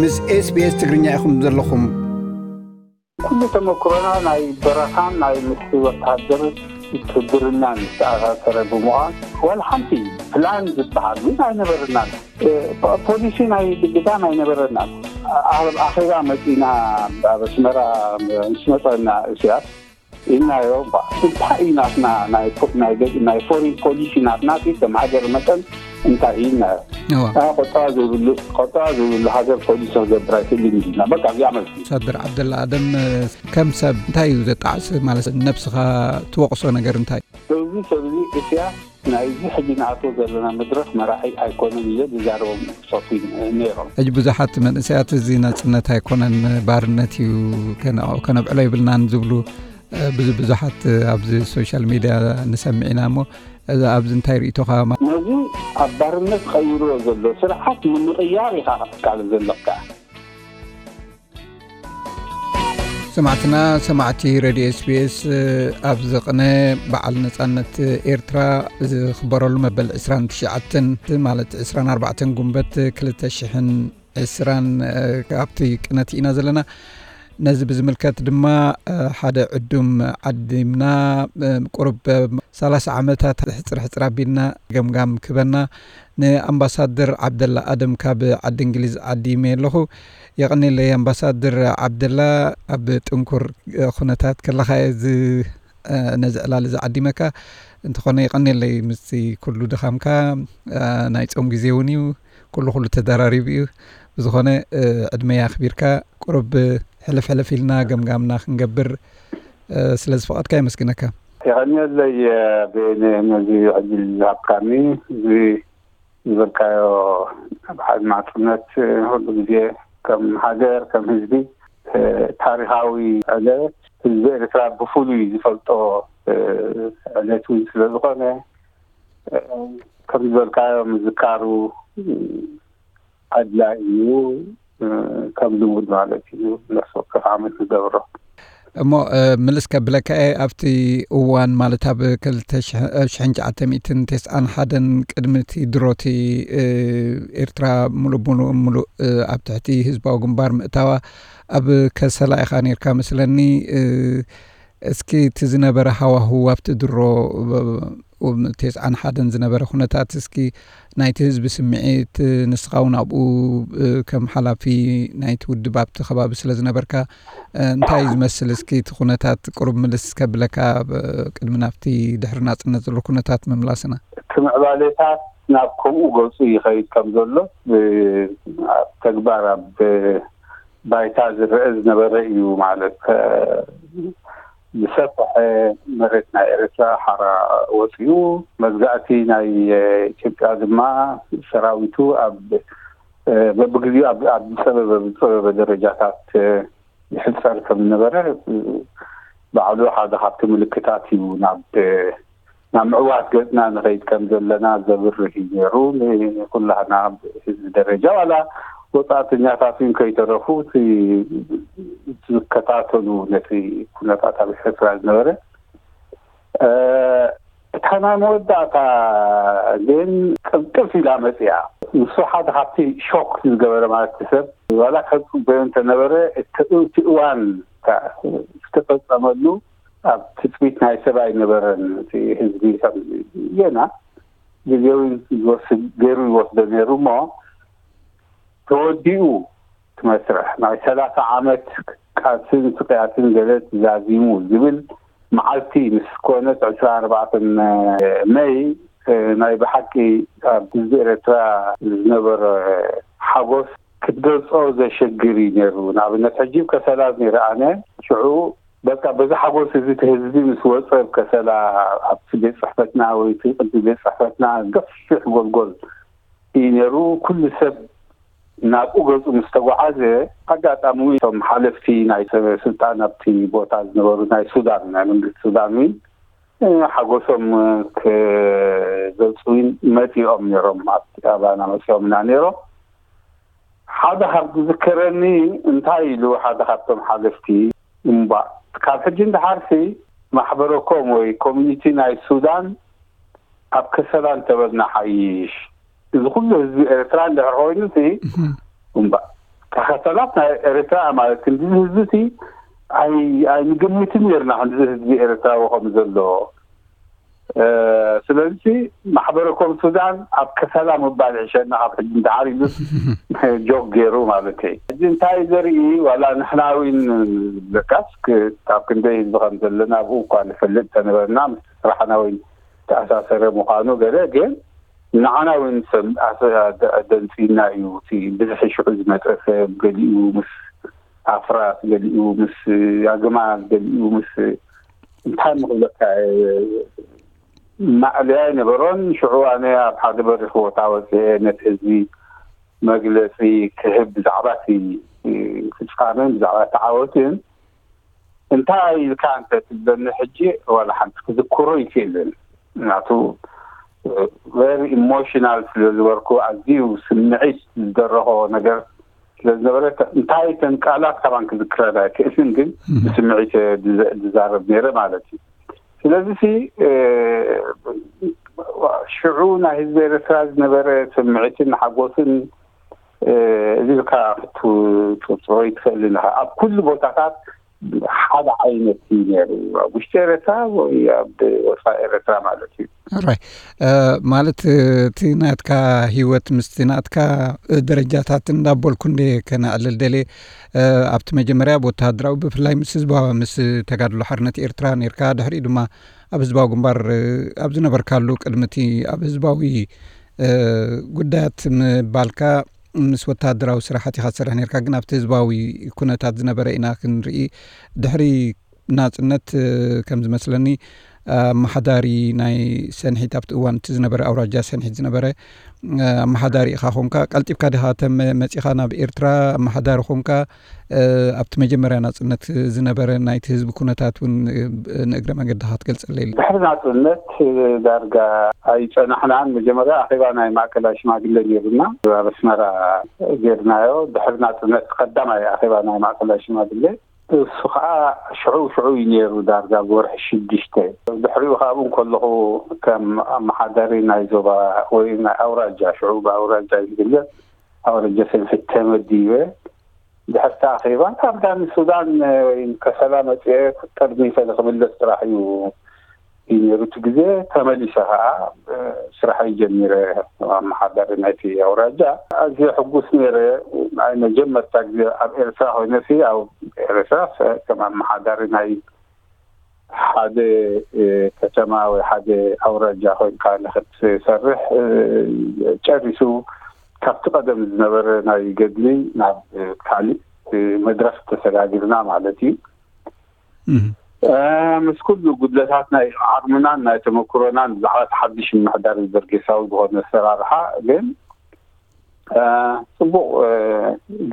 ምስ SBS ትግርኛ ኢኹም ዘለኹም። ኩሉ ተመክሮና ናይ በረኻን ናይ ምስ ወታሃደር ውትድርናን ዝተኣሳሰረ ብምዃን ዋላ ሓንቲ ፕላን ዝበሃል እውን ኣይነበረናን። ፖሊሲ ናይ ግዳን ኣይነበረናን። ኣብ ኣኼባ መፂና ኣብ ኣስመራ ምስ መፀና እስያስ ኢልናዮ። እንታይ እዩ ናትና ናይ ፎሪን ፖሊሲ ናትና ከም ሃገር መጠን እንታይ እዩ ኢልናዮ። ቁጠባ ዘይብሉ ሃገር ፖሊሲ ክገብር ኣይክእልን ኢልና በቃ እዚኣ መልሲ። ኣምባሳደር ዓብደላ ኣደም፣ ከም ሰብ እንታይ እዩ ዘጣዕስ ማለት ነብስኻ ትወቕሶ ነገር እንታይ? እዚ ሰብዚ እስያ ናይዚ ሕጂ ንኣትዎ ዘለና መድረኽ መራሒ ኣይኮነን ኢለ ዝዛረቦም ሶፊ ነይሮም። ሕጂ ብዙሓት መንእሰያት እዚ ናጽነት ኣይኮነን ባርነት እዩ፣ ከነብዕሎ ይብልናን ዝብሉ ብዙ ብዙሓት ኣብዚ ሶሻል ሚድያ ንሰምዕ ኢና። እሞ ኣብዚ እንታይ ርእቶኻ? ነዚ ኣብ ባርነት ቀይርዎ ዘሎ ስርዓት ንምቕያር ኢኻ ክትቃለስ ዘለካ። ሰማዕትና ሰማዕቲ ሬድዮ ኤስቢኤስ፣ ኣብዚ ቅነ በዓል ነጻነት ኤርትራ ዝኽበረሉ መበል ዕስራን ትሽዓተን ማለት ዕስራን ኣርባዕተን ጉንበት ክልተ ሽሕን ዕስራን ኣብቲ ቅነት ኢና ዘለና። ነዚ ብዝምልከት ድማ ሓደ ዕዱም ዓዲምና፣ ቁሩብ ሰላሳ ዓመታት ሕጽር ሕጽር ኣቢልና ገምጋም ክበና ንኣምባሳደር ዓብደላ ኣደም ካብ ዓዲ እንግሊዝ ዓዲመ ኣለኹ። የቐኔለይ ኣምባሳደር ዓብደላ፣ ኣብ ጥንኩር ኩነታት ከለኻ እዚ ነዚ ዕላል እዚ ዓዲመካ። እንተኾነ የቐኔለይ ምስቲ ኩሉ ድኻምካ፣ ናይ ጾም ግዜ እውን እዩ፣ ኩሉ ኩሉ ተደራሪቡ እዩ። ብዝኾነ ዕድመይ ኣኽቢርካ ቁሩብ ሕልፍ ሕልፍ ኢልና ገምጋምና ክንገብር ስለ ዝፈቐድካ የመስግነካ። የቐንየለይ ቤን ነዚ ዕድል ዝሃብካኒ። እዚ ዝበልካዮ ኣብ ሓድማፅነት ኩሉ ግዜ ከም ሃገር ከም ህዝቢ ታሪኻዊ ዕለት ህዝቢ ኤርትራ ብፍሉይ ዝፈልጦ ዕለት እውን ስለ ዝኾነ ከም ዝበልካዮ ምዝካሩ ኣድላይ እዩ። ከም ልሙድ ማለት እዩ ነፍሲ ወከፍ ዓመት ንገብሮ። እሞ ምልስ ከብለካ እየ፣ ኣብቲ እዋን ማለት ኣብ ክልተ ሽሕን ትሽዓተ ሚእትን ተስዓን ሓደን ቅድሚ እቲ ድሮቲ ኤርትራ ሙሉእ ብሙሉእ ሙሉእ ኣብ ትሕቲ ህዝባዊ ግንባር ምእታዋ ኣብ ከሰላ ኢኻ ነርካ መስለኒ። እስኪ እቲ ዝነበረ ሃዋህው ኣብቲ ድሮ ተስዓን ሓደን ዝነበረ ኩነታት እስኪ ናይቲ ህዝቢ ስምዒት ንስኻ እውን ኣብኡ ከም ሓላፊ ናይቲ ውድብ ኣብቲ ከባቢ ስለ ዝነበርካ እንታይ እዩ ዝመስል? እስኪ እቲ ኩነታት ቁሩብ ምልስ ከብለካ ቅድሚ ናብቲ ድሕሪ ናፅነት ዘሎ ኩነታት ምምላስና። እቲ ምዕባሌታት ናብ ከምኡ ገፁ ይኸይድ ከም ዘሎ ኣብ ተግባር ኣብ ባይታ ዝረአ ዝነበረ እዩ። ማለት ዝሰፈሐ መሬት ናይ ኤርትራ ሓራ ወፂኡ መግዛእቲ ናይ ኢትዮጵያ ድማ ሰራዊቱ ኣብ በብግዜኡ ኣብ ዝፀበበ ዝፀበበ ደረጃታት ይሕፀር ከም ዝነበረ ባዕሉ ሓደ ካብቲ ምልክታት እዩ። ናብ ናብ ምዕዋት ገፅና ንኸይድ ከም ዘለና ዘብርህ እዩ ነይሩ። ንኩላህና ህዝቢ ደረጃ ዋላ ወፃእተኛታት እውን ከይተረፉ እቲ ዝከታተሉ ነቲ ኩነታት ኣብ ኤርትራ ዝነበረ እታ ናይ መወዳእታ ግን ቅልጥፍ ኢላ መፅያ። ንሱ ሓደ ካብቲ ሾክ ዝገበረ ማለት ሰብ ዋላ ከፅበዮ እንተነበረ እቲ እዋን ዝተፈፀመሉ ኣብ ትፅቢት ናይ ሰብ ኣይነበረን። እቲ ህዝቢ ከም ጌና ግዜዊ ዝወስድ ገይሩ ይወስዶ ነይሩ እሞ ተወዲኡ እቲ መስርሕ ናይ ሰላሳ ዓመት ቃልስን ስቅያትን ገለ ዛዚሙ ዝብል መዓልቲ ምስ ኮነት ዕስራን ኣርባዕተን መይ ናይ ብሓቂ ኣብ ህዝቢ ኤርትራ ዝነበረ ሓጎስ ክትገልጾ ዘሸግር እዩ ነይሩ። ንኣብነት ሕጂ ከሰላ ነይረ ኣነ ሽዑ በቃ በዚ ሓጎስ እዚ እቲ ህዝቢ ምስ ወፀ ከሰላ ኣብቲ ቤት ፅሕፈትና ወይ እቲ ቅዲ ቤት ፅሕፈትና ገፊሕ ጎልጎል እዩ ነይሩ። ኩሉ ሰብ ናብኡ ገፁ ምስ ተጓዓዘ ኣጋጣሚ እቶም ሓለፍቲ ናይ ስልጣን ኣብቲ ቦታ ዝነበሩ ናይ ሱዳን ናይ መንግስቲ ሱዳን ሓጎሶም ክገልፁ መፂኦም ነይሮም። ኣብቲ ኣባና መፂኦምና ነይሮም። ሓደ ካብ ዝዝከረኒ እንታይ ኢሉ ሓደ ካብቶም ሓለፍቲ እምባ ካብ ሕጂ ንድሓርሲ ማሕበረኮም ወይ ኮሚኒቲ ናይ ሱዳን ኣብ ከሰላ እንተበልና ሓይሽ እዚ ኩሉ ህዝቢ ኤርትራ እንድሕር ኮይኑ ሲ እምባ ሰላት ናይ ኤርትራ ማለት ክንዲ ህዝቢ እቲ ኣይ-፣ ኣይንግምትን ነርና፣ ክንዲ ህዝቢ ኤርትራዊ ከም ዘሎ። እ፣ ስለዚ ማሕበረ ኮም ሱዳን ኣብ ከሰላ ምባል ይሕሸና ካብ ሕጂ እንድሓር ኢሉስ ጆክ ገይሩ ማለት እዩ። ሕጂ እንታይ ዘርኢ ዋላ ንሕና እውን ለካስ ክ-፣ ካብ ክንደይ ህዝቢ ከም ዘለና ኣብኡ እኳ ንፈልጥ ተነበርና፣ ምስ ስራሕና እውን ተኣሳሰረ ምዃኑ ገለ፣ ግን ንዓና እውን ሰም-፣ ኣሰ-፣ ኣደ-፣ ኣደንጺና እዩ። እቲ ብዝሒ ሽዑ ዝመጸ ሰብ ገሊኡ ምስ ኣፍራስ፣ ገሊኡ ምስ ኣግማል፣ ገሊኡ ምስ እንታይ ምኽብለካ፣ ማእለያ ኣይነበሮን። ሽዑ ኣነ ኣብ ሓደ በሪኽ ቦታ ወፅኤ ነቲ ህዝቢ መግለፂ ክህብ ብዛዕባ እቲ ፍፃመን ብዛዕባ እቲ ዓወትን እንታይ ኢልካ እንተ ትብለኒ፣ ሕጂ ዋላ ሓንቲ ክዝክሮ ይክእልን። ምክንያቱ ቨሪ ኢሞሽናል ስለ ዝበርኩ፣ ኣዝዩ ስምዒት ዝደረኾ ነገር ስለ ዝነበረ፣ እንታይ ተን ቃላት ካባን ክዝክረን ኣይክእልን፣ ግን ብስምዒት ዝዛረብ ነይረ ማለት እዩ። ስለዚ ሲ ሽዑ ናይ ህዝቢ ኤርትራ ዝነበረ ስምዒትን ሓጎስን እዚ ኢልካ ክትፅሮ ይትኽእልን ኢኻ። ኣብ ኩሉ ቦታታት ሓደ ዓይነት እዩ ነይሩ፣ ኣብ ውሽጢ ኤርትራ ወይ ኣብ ወፃኢ ኤርትራ ማለት እዩ። ራይ ማለት እቲ ናትካ ህይወት ምስቲ ናትካ ደረጃታት እንዳበልኩ እንደ ከነዕልል ደልየ፣ ኣብቲ መጀመርያ ብወተሃደራዊ ብፍላይ ምስ ህዝባዊ ምስ ተጋድሎ ሓርነት ኤርትራ ነርካ፣ ድሕሪኡ ድማ ኣብ ህዝባዊ ግንባር ኣብ ዝነበርካሉ ቅድሚ እቲ ኣብ ህዝባዊ ጉዳያት ምባልካ ምስ ወተሃደራዊ ስራሓት ኢኻ ትሰርሕ ነርካ፣ ግን ኣብቲ ህዝባዊ ኩነታት ዝነበረ ኢና ክንርኢ። ድሕሪ ናጽነት ከም ዝመስለኒ ኣመሓዳሪ ናይ ሰንሒት ኣብቲ እዋን እቲ ዝነበረ ኣውራጃ ሰንሒት ዝነበረ ኣመሓዳሪ ኢኻ ኮንካ። ቀልጢፍካ ዲኻ ተመ መጺኻ ናብ ኤርትራ ኣመሓዳሪ ኮንካ? ኣብቲ መጀመርያ ናጽነት ዝነበረ ናይቲ ህዝቢ ኩነታት እውን ንእግረ መገድኻ ትገልጸለይ። ድሕሪ ናጽነት ዳርጋ ኣይጸናሕናን። መጀመርያ ኣኼባ ናይ ማእከላይ ሽማግለ ነይሩና፣ ኣብ ኣስመራ ጌርናዮ። ድሕሪ ናጽነት ቀዳማይ ኣኼባ ናይ ማእከላይ ሽማግለ እሱ ከዓ ሽዑ ሽዑ እዩ ነይሩ፣ ዳርጋ ብወርሒ ሽዱሽተ። ድሕሪኡ ካብኡ እንከለኹ ከም ኣመሓዳሪ ናይ ዞባ ወይ ናይ ኣውራጃ፣ ሽዑ ብኣውራጃ እዩ ዝግለጽ፣ ኣውራጃ ሰንሒት ተመዲበ። ድሕርቲ ኣኼባ ካብ ዳኒ ሱዳን ወይ ከሰላ መፅኤ ጠርኒፈ ንክምለስ ጥራሕ እዩ እዩ ነይሩ። እቲ ግዜ ተመሊሰ ከዓ ስራሐይ ጀሚረ። ኣመሓዳሪ ናይቲ ኣውራጃ ኣዝየ ሕጉስ ነይረ። ናይ መጀመርታ ግዜ ኣብ ኤርትራ ኮይነ ሲ ኣብ ኤርትራ ከም ኣመሓዳሪ ናይ ሓደ ከተማ ወይ ሓደ ኣውራጃ ኮይንካ ንክትሰርሕ ጨሪሱ ካብቲ ቀደም ዝነበረ ናይ ገድሊ ናብ ካሊእ መድረክ ተሰጋጊርና ማለት እዩ። ምስ ኩሉ ጉድለታት ናይ ዓቕምናን ናይ ተመክሮናን ብዛዕባ እቲ ሓድሽ ምምሕዳር በርጌሳዊ ዝኾነ ኣሰራርሓ ግን ፅቡቕ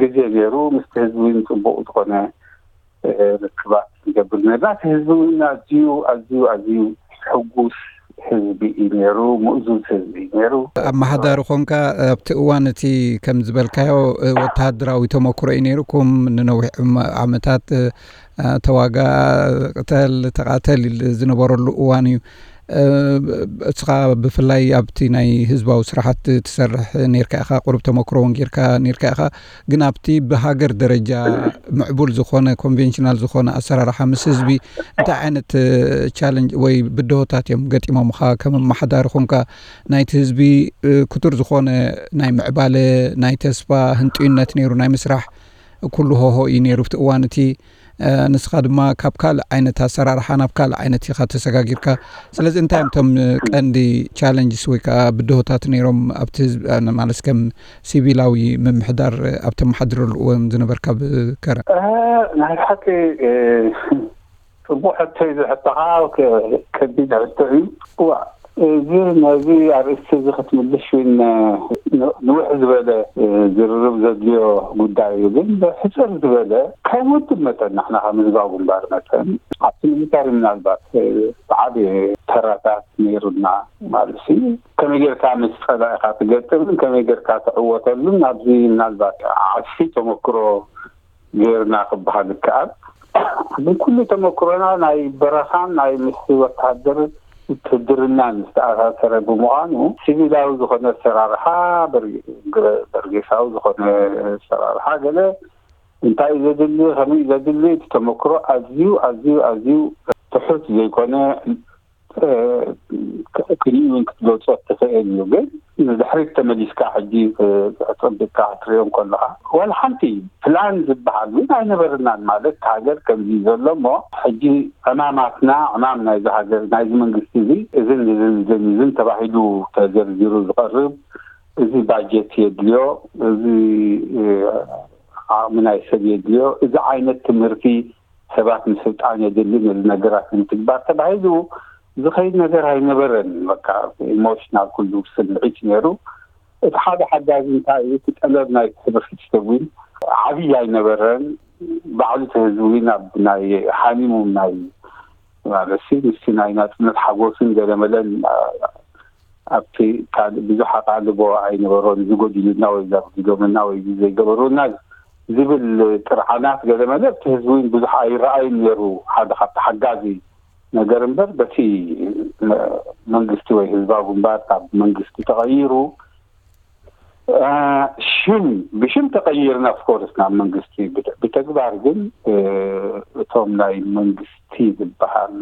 ግዜ ነይሩ። ምስቲ ህዝቢ እውን ፅቡቕ ዝኾነ ርክባት ንገብር ነርና። እቲ ህዝቢ እውን ኣዝዩ ኣዝዩ ኣዝዩ ሕጉስ ህዝቢ እዩ ነይሩ፣ ምእዙዝ ህዝቢ እዩ ነይሩ። ኣመሓዳሪ ኮንካ ኣብቲ እዋን እቲ ከም ዝበልካዮ ወተሃደራዊ ተመክሮ እዩ ነይርኩም። ንነዊሕ ዓመታት ተዋጋ፣ ቅተል ተቓተል ዝነበረሉ እዋን እዩ። እስኻ ብፍላይ ኣብቲ ናይ ህዝባዊ ስራሓት ትሰርሕ ነርካ ኢኻ፣ ቁሩብ ተመክሮ እውን ጌርካ ነርካ ኢኻ። ግን ኣብቲ ብሃገር ደረጃ ምዕቡል ዝኾነ ኮንቬንሽናል ዝኾነ ኣሰራርሓ ምስ ህዝቢ እንታይ ዓይነት ቻለንጅ ወይ ብድሆታት እዮም ገጢሞምኻ? ከም ኣመሓዳሪ ኮንካ ናይቲ ህዝቢ ክቱር ዝኾነ ናይ ምዕባለ ናይ ተስፋ ህንጡይነት ነይሩ ናይ ምስራሕ ኩሉ ሆሆ እዩ ነይሩ ኣብቲ እዋን እቲ። ንስኻ ድማ ካብ ካልእ ዓይነት ኣሰራርሓ ናብ ካልእ ዓይነት ኢኻ ተሰጋጊርካ። ስለዚ እንታይ እዮም እቶም ቀንዲ ቻለንጅስ ወይ ከዓ ብድሆታት ነይሮም ኣብቲ ህዝቢ ማለት ከም ሲቪላዊ ምምሕዳር ኣብ ተመሓድረሉ እዋን ዝነበርካ ብከረን? ናይ ብሓቂ ፅቡቅ ሕቶ እዩ ዝሕተኻ፣ ከቢድ ሕቶ እዩ። ዋ እዚ ነዚ ኣርእስቲ እዚ ክትምልሽ እውን ንውሕ ዝበለ ዝርርብ ዘድልዮ ጉዳይ እዩ። ግን ሕፅር ዝበለ ከም ውድብ መጠን ንሕና ከም ህዝባዊ ግንባር መጠን ኣብቲ ሚሊታሪ ምናልባት ዓብየ ተራታት ነይሩና ማለት እዩ። ከመይ ጌርካ ምስ ፀላኢካ ትገጥምን ከመይ ጌርካ ትዕወተሉን ኣብዚ ምናልባት ዓስፊ ተመክሮ ጌርና ክበሃል ይከኣል። ግን ኩሉ ተመክሮና ናይ በረኻን ናይ ምስ ወተሃደር ውትድርናን ዝተኣሳሰረ ብምዃኑ ሲቪላዊ ዝኾነ ኣሰራርሓ በርጌሳዊ ዝኾነ ኣሰራርሓ ገለ እንታይ እዩ ዘድሊ፣ ከመይ እዩ ዘድሊ፣ እቲ ተመክሮ ኣዝዩ ኣዝዩ ኣዝዩ ትሑት ዘይኮነ ክንእውን ክትገልጾ ትኽእል እዩ። ግን ንድሕሪት ተመሊስካ ሕጂ ክጸብቅካ ክትሪኦ እንከለኻ ዋላ ሓንቲ ፕላን ዝበሃል እውን ኣይነበረናን። ማለት ሃገር ከምዚ ዘሎ እሞ ሕጂ ዕማማትና፣ ዕማም ናይዚ ሃገር ናይዚ መንግስቲ እዚ እዝን እዝን እዝን እዝን ተባሂሉ ተዘርዚሩ ዝቐርብ፣ እዚ ባጀት የድልዮ፣ እዚ ዓቕሚ ናይ ሰብ የድልዮ፣ እዚ ዓይነት ትምህርቲ ሰባት ምስልጣን የድሊ፣ ነዚ ነገራት ንምትግባር ተባሂሉ ዝኸይድ ነገር ኣይነበረን። በቃ ኢሞሽናል ኩሉ ስምዒት ነይሩ። እቲ ሓደ ሓጋዚ እንታይ እዩ፣ እቲ ጠለብ ናይ ሕብረተሰብ እውን ዓብዪ ኣይነበረን። ባዕሉ እቲ ህዝቢ እውን ኣብ ናይ ሓሚሙ ናይ ማለት ምስቲ ናይ ናፅነት ሓጎስን ገለመለን ኣብቲ ካልእ ብዙሕ ኣቓልቦ ኣይነበሮን። እዚ ጎዲሉና ወይ እዚ ኣጉዲሎምና ወይ እዚ ዘይገበሩና ዝብል ጥርዓናት ገለመለ ኣብቲ ህዝቢ እውን ብዙሕ ኣይረኣይን ነይሩ። ሓደ ካብቲ ሓጋዚ ነገር እምበር በቲ መንግስቲ ወይ ህዝባዊ ግንባር ካብ መንግስቲ ተቐይሩ ሽም ብሽም ተቐይርና ኦፍኮርስ ናብ መንግስቲ ብተግባር ግን እቶም ናይ መንግስቲ ዝበሃል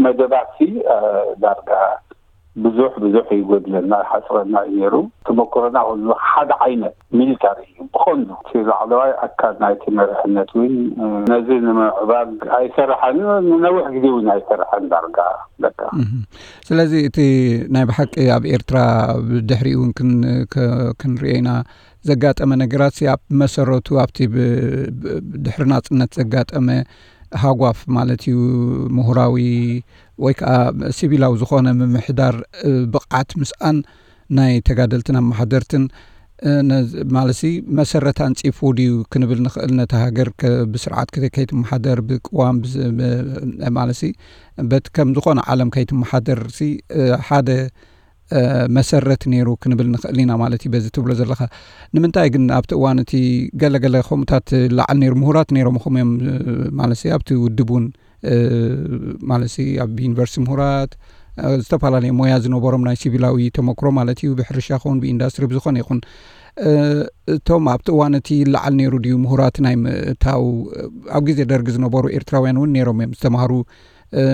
መደባት ዳርጋ ብዙሕ ብዙሕ ይጎድለና ይሓፅረና እዩ ነይሩ። ተመክሮና ኩሉ ሓደ ዓይነት ሚሊታሪ እዩ ብቐንዱ። እቲ ላዕለዋይ ኣካል ናይቲ መሪሕነት እውን ነዚ ንምዕባግ ኣይሰራሐን፣ ንነዊሕ ግዜ እውን ኣይሰራሐን ዳርጋ በቃ። ስለዚ እቲ ናይ ብሓቂ ኣብ ኤርትራ ብድሕሪኡ እውን ክንሪኦ ኢና ዘጋጠመ ነገራት ኣብ መሰረቱ ኣብቲ ድሕሪ ናፅነት ዘጋጠመ ሃጓፍ ማለት እዩ ምሁራዊ ወይ ከዓ ሲቪላዊ ዝኾነ ምምሕዳር ብቕዓት ምስኣን ናይ ተጋደልትን ኣመሓደርትን ማለሲ መሰረት ኣንፂፉ ድዩ ክንብል ንኽእል? ነቲ ሃገር ብስርዓት ከይትመሓደር ብቅዋም ማለሲ በቲ ከም ዝኾነ ዓለም ከይትመሓደር ሓደ መሰረት ነይሩ ክንብል ንኽእል ኢና ማለት እዩ። በዚ ትብሎ ዘለኻ ንምንታይ ግን ኣብቲ እዋን እቲ ገለገለ ከምኡታት ላዓል ነይሩ ምሁራት ነይሮም ኹም እዮም ማለት ኣብቲ ውድብ እውን ማለት ኣብ ዩኒቨርሲቲ ምሁራት ዝተፈላለየ ሞያ ዝነበሮም ናይ ሲቪላዊ ተመክሮ ማለት እዩ ብሕርሻ ኸውን ብኢንዳስትሪ ብዝኾነ ይኹን እቶም ኣብቲ እዋን እቲ ላዓል ነይሩ ድዩ ምሁራት ናይ ምእታው ኣብ ግዜ ደርጊ ዝነበሩ ኤርትራውያን እውን ነይሮም እዮም ዝተማሃሩ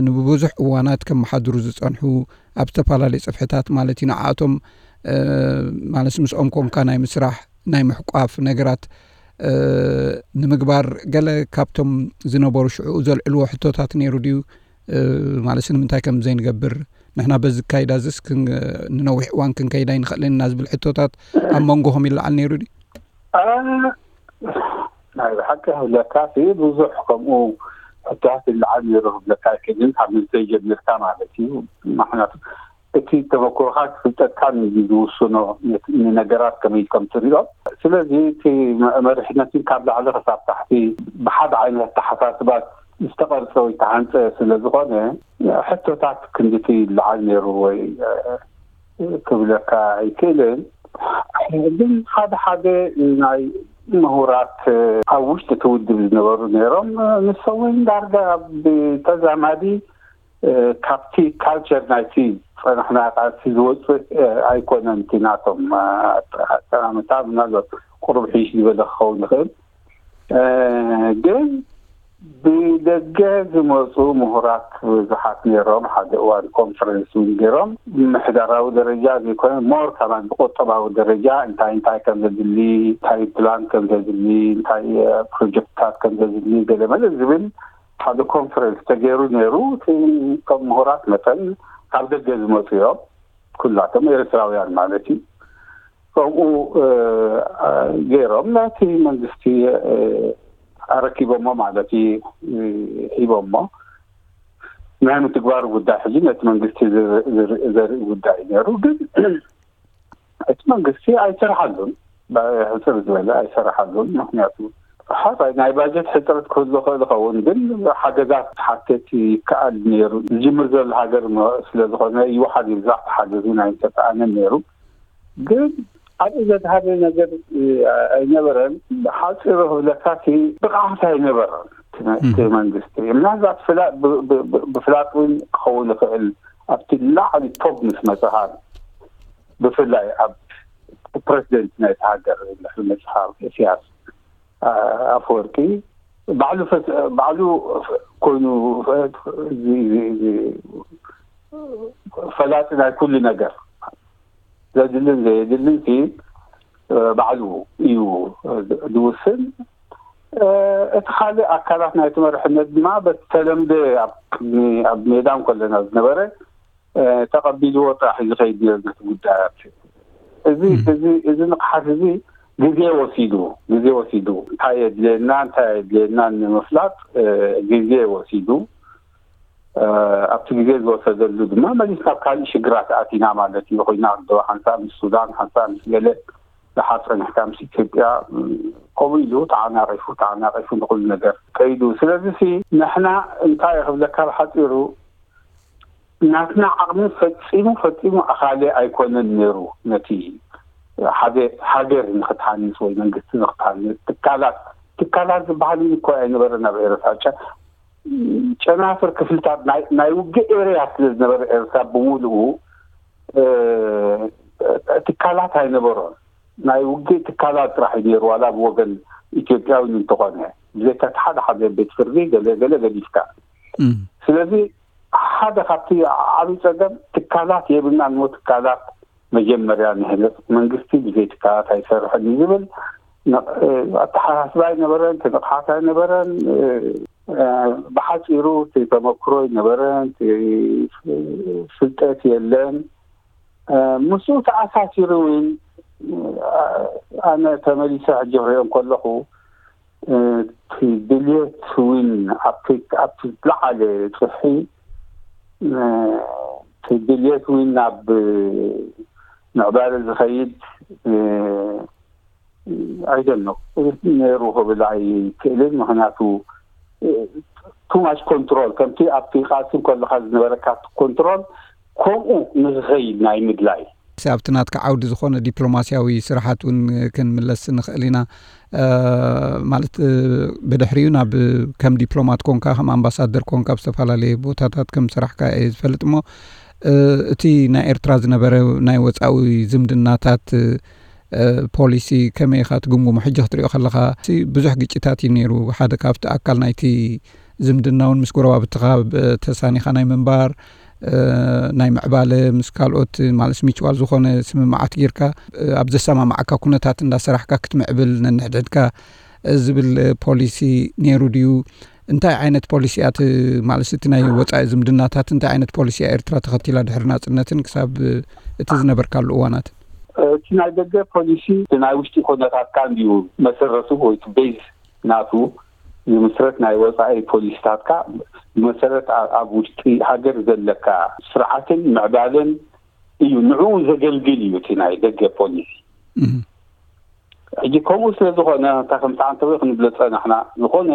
ንብብዙሕ እዋናት ከመሓድሩ ዝጸንሑ ኣብ ዝተፈላለየ ጽፍሕታት ማለት እዩ ንዓኣቶም ማለት ምስኦም ኮንካ ናይ ምስራሕ ናይ ምሕቋፍ ነገራት ንምግባር ገለ ካብቶም ዝነበሩ ሽዑ ዘልዕልዎ ሕቶታት ነይሩ ድዩ ማለት ንምንታይ ከም ዘይንገብር ንሕና በዚ ካይዳ ዝስ ንነዊሕ እዋን ክንከይዳ ይንኽእል ኢና ዝብል ሕቶታት ኣብ መንጎኹም ይለዓል ነይሩ ድዩ? ናይ ብሓቂ ክብለካ ብዙሕ ከምኡ ሕቶታት ይለዓል ነይሩ ክብለካ ይክእልን ካብ ምንታይ ጀሚርካ ማለት እዩ። ምክንያቱ እቲ ተመክሮኻ ክፍልጠካ እዩ ዝውስኖ ንነገራት ከመይ ከም ትሪኦ። ስለዚ እቲ መሪሕነት ካብ ላዕሊ ክሳብ ታሕቲ ብሓደ ዓይነት ኣተሓሳስባ ዝተቐርፀ ወይ ተሃንፀ ስለ ዝኾነ ሕቶታት ክንድቲ ይለዓል ነይሩ ወይ ክብለካ ኣይክእልን። ግን ሓደ ሓደ ናይ ምሁራት ኣብ ውሽጢ እቲ ውድብ ዝነበሩ ነይሮም። ንሶም እውን ዳርጋ ብተዛማዲ ካብቲ ካልቸር ናይቲ ዝፀናሕናዮ ቃልሲ ዝወፅእ ኣይኮነን። እቲ ናቶም ኣጠማምታ ምናልባት ቁሩብ ሕይሽ ዝበለ ክኸውን ይኽእል። ግን ብደገ ዝመፁ ምሁራት ብዙሓት ነይሮም። ሓደ እዋን ኮንፈረንስ እውን ገይሮም ብምሕዳራዊ ደረጃ ዘይኮነ ሞር ከማን ብቁጠባዊ ደረጃ እንታይ እንታይ ከም ዘድሊ፣ እንታይ ፕላን ከም ዘድሊ፣ እንታይ ፕሮጀክትታት ከም ዘድሊ ገለመለ ዝብል ሓደ ኮንፈረንስ ተገይሩ ነይሩ። ከም ምሁራት መጠን ካብ ደገ ዝመፁ እዮም፣ ኩላቶም ኤርትራውያን ማለት እዩ። ከምኡ ገይሮም ናይቲ መንግስቲ ኣረኪቦሞ ማለት እዩ ሂቦሞ ናይ ምትግባሩ ጉዳይ ሕጂ ነቲ መንግስቲ ዘርኢ ጉዳይ ነይሩ። ግን እቲ መንግስቲ ኣይሰርሓሉን፣ ሕፅር ዝበለ ኣይሰርሓሉን። ምክንያቱ ሓራይ ናይ ባጀት ሕፅረት ክህሉ ክእል ይኸውን፣ ግን ሓገዛት ሓተት ይከኣል ነይሩ። ዝጅምር ዘሎ ሃገር ስለዝኾነ ይወሓድ ይብዛሕ ሓገዝ እውን ኣይተሰኣነን ነይሩ። ግን ኣብኡ ዘድሃበ ነገር ኣይነበረን። ሓፂሩ ክብለካ እቲ ብቕዓት ኣይነበረን እቲ መንግስቲ። ምናልባት ብፍላጥ እውን ክኸውን ይኽእል ኣብቲ ላዕሊ ቶብ ምስ መፅኻ ብፍላይ ኣብ ፕረዚደንት ናይቲ ሃገር ዝብል መጽሓፍ ኢሳያስ ኣፈወርቂ ባዕሉ ፈስ-፣ ባዕሉ ኮይኑ፣ እዚ፣ እዚ፣ እዚ ፈላጢ ናይ ኩሉ ነገር፣ ዘድልን ዘየድልን ሲ ባዕሉ እዩ ዝውስን። እቲ ካልእ ኣካላት ናይቲ መርሕነት ድማ በቲ ተለምደ ኣብ ቅድሚ፣ ኣብ ሜዳ እንከለና ዝነበረ ተቐቢልዎ ጥራሕ እዩ ዝኸይድ ነቲ ጉዳያት። እዚ፣ እዚ፣ እዚ ንቕሓት እዚ ግዜ ወሲዱ፣ ግዜ ወሲዱ፣ እንታይ የድልየና፣ እንታይ የድልየና ንምፍላጥ ግዜ ወሲዱ። ኣብቲ ግዜ ዝወሰደሉ ድማ መሊስ ናብ ካልእ ሽግራት ኣቲና ማለት እዩ። ኮይና ዶ ሓንሳብ ምስ ሱዳን፣ ሓንሳብ ምስ ገለ፣ ደሓር ጸኒሕካ ምስ ኢትዮጵያ፣ ከምኡ ኢሉ ተዓናቒፉ፣ ተዓናቒፉ ንኹሉ ነገር ከይዱ። ስለዚ ሲ ንሕና እንታይ ክብለካ ብሓጺሩ፣ ናትና ዓቕሚ ፈጺሙ፣ ፈጺሙ ኣኻሊ ኣይኮነን ነይሩ። ነቲ ሓደ ሃገር ንኽትሃንጽ ወይ መንግስቲ ንኽትሃንጽ ትካላት፣ ትካላት ዝበሃል እኮ ኣይነበረን ኣብ ኤርትራ። ጨ-፣ ጨናፍር ክፍልታት ናይ፣ ናይ ውግእ ኤርያ ስለ ዝነበረ ኤርትራ ብምሉኡ፣ እ፣ ትካላት ኣይነበሮን። ናይ ውግእ ትካላት ጥራሕ እዩ ነይሩ፣ ዋላ ብወገን ኢትዮጵያዊ እንተኾነ። ብዘይካ እቲ ሓደ ሓደ ቤት ፍርዲ ገለ ገለ ገዲፍካ። እም። ስለዚ ሓደ ካብቲ ዓብዪ ጸገም ትካላት የብልናን እሞ ትካላት መጀመርያ ንህነጽ፣ መንግስቲ ብዘይ ትካላት ኣይሰርሕን እዩ ዝብል ነ-፣ ኣተሓሳስባ ኣይነበረን፣ እቲ ንቕሓት ኣይነበረን። እ፣ ብሓጺሩ እቲ ተመክሮ ኣይነበረን፣ እቲ ፍልጠት የለን። እ፣ ምስኡ ተኣሳሲሩ እውን፣ እ፣ ኣነ ተመሊሰ ሕጂ ክሪኦ እንከለኹ፣ እ፣ እቲ ድልየት እውን ኣብቲ፣ ኣብቲ ዝለዓለ ጽፍሒ፣ እ፣ እቲ ድልየት እውን ናብ ምዕባለ ዝኸይድ፣ እ፣ I don't know፣ ነይሩ ክብል ኣይክእልን። ምኽንያቱ፣ እ፣ too much control፣ ከምቲ ኣብቲ ቃልሲ ከለኻ ዝነበረካ ኮንትሮል፣ ከምኡ ንክኸይድ ናይ ምድላይ። ኣብቲ ናትካ ዓውዲ ዝኾነ ዲፕሎማስያዊ ስራሓት እውን ክንምለስ ንኽእል ኢና። እ፣ ማለት፣ እ፣ ብድሕሪኡ ናብ፣ ከም ዲፕሎማት ኮንካ፣ ከም ኣምባሳደር ኮንካ፣ ኣብ ዝተፈላለየ ቦታታት ከም ሰራሕካ እየ ዝፈልጥ እሞ፣ እ፣ እቲ ናይ ኤርትራ ዝነበረ ናይ ወጻዊ ዝምድናታት፣ እ፣ ፖሊሲ ከመይ ኢኻ ትግምግሞ? ሕጂ ክትሪኦ ከለኻ፣ እቲ ብዙሕ ግጭታት እዩ ነይሩ። ሓደ ካብቲ ኣካል ናይቲ ዝምድና እውን ምስ ጎረባብትኻ ብ-፣ ተሳኒኻ ናይ ምንባር፣ እ፣ ናይ ምዕባለ፣ ምስ ካልኦት፣ ማለት፣ ሚችዋል ዝኾነ ስምምዓት ጌርካ፣ እ፣ ኣብ ዘሰማማዓካ ኩነታት እንዳሰራሕካ ክትምዕብል ነንሕድሕድካ፣ እ፣ ዝብል፣ እ፣ ፖሊሲ ነይሩ ድዩ? እንታይ ዓይነት ፖሊሲ እያ እቲ፣ ማለት፣ እቲ ናይ ወጻኢ ዝምድናታት እንታይ ዓይነት ፖሊሲ እያ ኤርትራ ተኸቲላ ድሕሪ ናጽነትን ክሳብ፣ እ፣ እቲ ዝነበርካሉ እዋናት? እቲ ናይ ደገ ፖሊሲ እቲ ናይ ውሽጢ ኩነታትካ እንድዩ መሰረቱ ወይ እቲ ቤዝ ናቱ ዝምስረት ናይ ወጻኢ ፖሊሲታትካ ብመሰረት ኣ-፣ ኣብ ውሽጢ ሃገር ዘለካ ስርዓትን ምዕባለን እዩ። ንዕኡ ዘገልግል እዩ እቲ ናይ ደገ ፖሊሲ። እህ። ሕጂ ከምኡ ስለ ዝኾነ፣ እንታይ ከም ተዓንተወ ክንብሎ ጸናሕና። ዝኾነ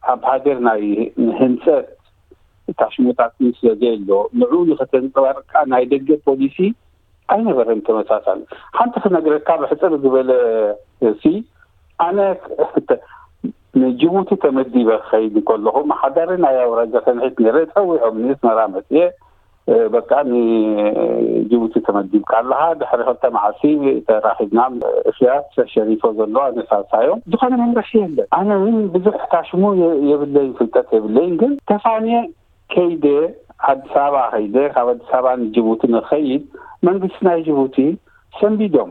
ኣብ ሃገር ናይ ህንጸት ታሽሞታት ስለ ዘየሎ፣ ንዕኡ ንኸተንጸባርቕ ከኣ ናይ ደገ ፖሊሲ ኣይነበረን ተመሳሳሊ። ሓንቲ ክነግረካ ብሕጽር ዝበለ ሲ፣ ኣነ ንጅቡቲ ተመዲበ ክኸይድ ከለኹ፣ መሓዳሪ ናይ ኣውራጃ ሰንሒት ነይረ፣ ጸዊዖምኒ፣ ኣስመራ መጽየ፣ እ፣ በቃ ንጅቡቲ ተመዲብካ ኣለኻ፣ ድሕሪ ክልተ መዓልቲ ተራኺብና፣ እስያስ ሸሪፎ ዘሎ ኣነ ሳልሳዮም፣ ዝኾነ መምርሒ የለን። ኣነ እውን ብዙሕ ታሽሙ የ-፣ የብለይን፣ ፍልጠት የብለይን፣ ግን ተፋንየ ከይደ፣ ኣዲስ ኣበባ ከይደ፣ ካብ ኣዲስ ኣበባ ንጅቡቲ ንኸይድ፣ መንግስቲ ናይ ጅቡቲ ሰንቢዶም።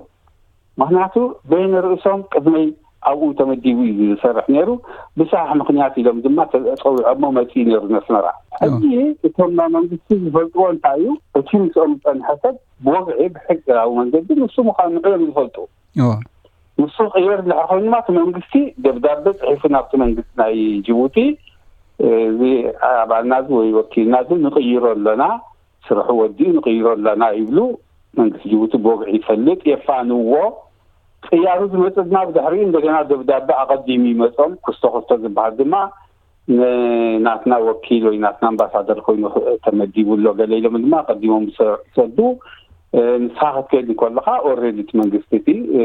ምኽንያቱ በይነ ርእሶም ቅድመይ ኣብኡ ተመዲቡ እዩ ዝሰርሕ ነይሩ። ብሳሕ ምኽንያት ኢሎም ድማ ተ-፣ ጸዊዖሞ መጺኡ ነይሩ ነስመራ። ሕጂ እቶም ናይ መንግስቲ ዝፈልጥዎ እንታይ እዩ? እቲ ምስኦም ዝጸንሐ ሰብ ብወግዒ ብሕጋዊ መንገዲ ንሱ ምዃኑ ንዕኦም ዝፈልጡ። እዎ። ንሱ ቅየር እንድሕር ኮይኑ ድማ እቲ መንግስቲ ደብዳበ ጽሒፉ ናብቲ መንግስቲ ናይ ጅቡቲ፣ እዚ ኣባልና እዚ ወይ ወኪልና እዚ ንቕይሮ ኣለና፣ ስርሑ ወዲኡ ንቕይሮ ኣለና ይብሉ። መንግስቲ ጅቡቲ ብወግዒ ይፈልጥ፣ የፋንዎ። ቅያሩ ዝመጽእ ድማ ብድሕሪኡ እንደገና ደብዳበ ኣቐዲሙ ይመጾም። ኩስቶ ኩስቶ ዝበሃል ድማ ን-፣ ናትና ወኪል ወይ ናትና ኣምባሳደር ኮይኑ ኽ-፣ ተመዲቡ ኣሎ ገለ ኢሎም ድማ ኣቐዲሞም ዝሰ-፣ ዝሰዱ። እ፣ ንስኻ ክትከይድ እንከለኻ ኦልሬዲ እቲ መንግስቲ እቲ፣ እ፣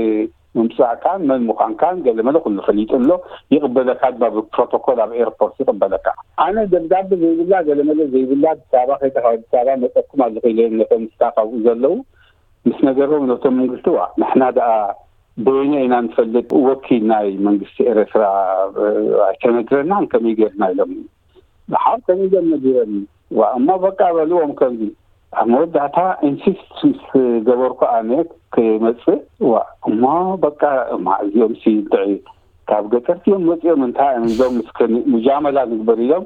ምምጻእካን መን ምዃንካን ገለ መለ ኩሉ ፈሊጡ ኣሎ። ይቕበለካ ድማ ብፕሮቶኮል ኣብ ኤርፖርት ይቕበለካ። ኣነ ደብዳበ ዘይብላ ገለ መለ ዘይብላ ኣዲስ ኣበባ ከይደ ካብ ኣዲስ ኣበባ መጸኩም ኣለኹ ኢለ ነቶም ስታፍ ኣብኡ ዘለዉ ምስ ነገሮም ነቶም መንግስቲ፣ ዋ፣ ንሕና ደኣ በይነ ኢና ንፈልጥ፣ ወኪል ናይ መንግስቲ ኤርትራ ኣይተነግረናን፣ ከመይ ጌርና ኢሎም። ደሓር ከመይ ጌር ነጊረኒ። ዋ፣ እሞ በቃ በልዎም ከምዚ። ኣብ መወዳእታ ኢንሲስት ምስ ገበርኩ ኣነ ክመጽእ፣ ዋ፣ እሞ በቃ፣ እማ እዚኦም ሲ እንታይ ካብ ገጠር እዮም መጺኦም፣ እንታይ እዮም ኢሎም፣ እስከ ሙጃመላ ንግበር ኢሎም፣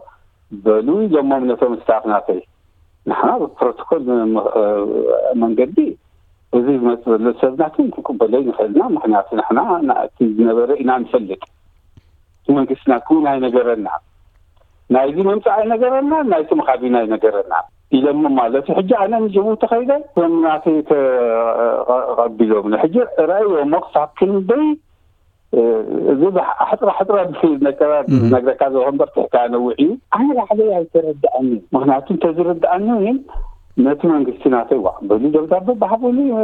በሉ ኢሎሞም ነቶም ስታፍ ናተይ። ንሕና ብፕሮቶኮል ም-፣ መንገዲ እዚ ዝመጽእ ዘሎ ሰብ ናትን ክቅበሎ ይንኽእልና፣ ምኽንያቱ ንሕና ናቲ ዝነበረ ኢና ንፈልጥ። እቲ መንግስትና ክውን ኣይነገረና፣ ናይዚ ምምጻእ ኣይነገረና፣ ናይቲ ምኻድና ኣይነገረና ኢሎሞ ማለት እዩ። ሕጂ ኣነ ንጅቡቲ ከይደ፣ እቶም ናተይ ተቐቢሎም፣ ሕጂ ርኣይዎ እሞ ክሳብ ክንደይ፣ እ፣ እዚ ብሕ-፣ ኣሕጥራ ኣሕጥራ ብስል ነገራት እም። ዝነግረካ ዘለኹ እምበር ትሕቲ ኣነውዕ እዩ። ኣነ ባዕለይ ኣይተረድኣኒ። ምኽንያቱ እንተዝርድኣኒ እውን ነቲ መንግስቲ ናተይ ዋ በሉ ደብዳበ ባሕቡሉ፣ እ፣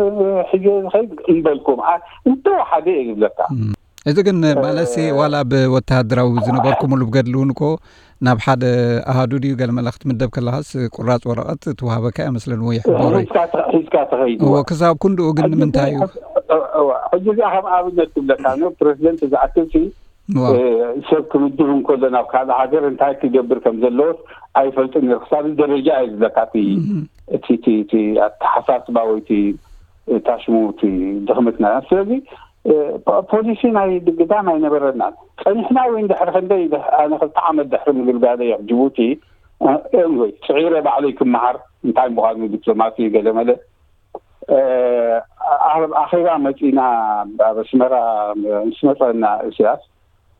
ሒዘ ዝኸይድ እምበልኩም። ኣ-፣ እንተወሓደ እየ ዝብለካ። እም። እዚ ግን እ፣ ማለሲ ዋላ ብወተሃደራዊ ዝነበርኩምሉ ብገድሊ እውን እኮ ናብ ሓደ ኣሃዱ ድዩ ገለ መለ ክትምደብ ከለኻስ ቁራጽ ወረቐት ትወሃበካ እያ መስለኒ ወይ ሕቦረይ። ሒዝካ ተ-፣ ሒዝካ ተኸይድ እዎ፣ እዋ። ክሳብ ክንድኡ ግን ሕጂ ንምንታይ እዩ? ሕጂ፣ እዋ፣ ሕጂ እዚኣ ከም ኣብነት ትብለካ ነው። ፕሬዚደንት ዝኣክል ሲ፣ እዋ። እ፣ ሰብ ክምድብ እንከሎ ናብ ካልእ ሃገር እንታይ ክገብር ከም ዘለዎስ ኣይፈልጥን ነይሩ። ክሳብ እዚ ደረጃ እዩ ዝብለካ እቲ፣ እም። እቲ፣ እቲ፣ እቲ ኣተሓሳስባ ወይ እቲ፣ እታ ሽሙ እቲ ድኽመትና። ስለዚ፣ እ፣ ፖ-፣ ፖሊሲ ናይ ግዳም ኣይነበረናን። ጸኒሕና ወይ እንድሕር ክንደይ ድሕ-፣ ኣነ ክልተ ዓመት ድሕሪ ምግልጋለይ ኣብ ጅቡቲ፣ እ፣ ኤንወይ፣ ጽዒረ ባዕለይ ክመሃር እንታይ ምዃኑ ዲፕሎማሲ ገለመለ። እ፣ ኣብ ኣኼባ መጺና ኣብ ኣስመራ ምስ መጸና ኢሳያስ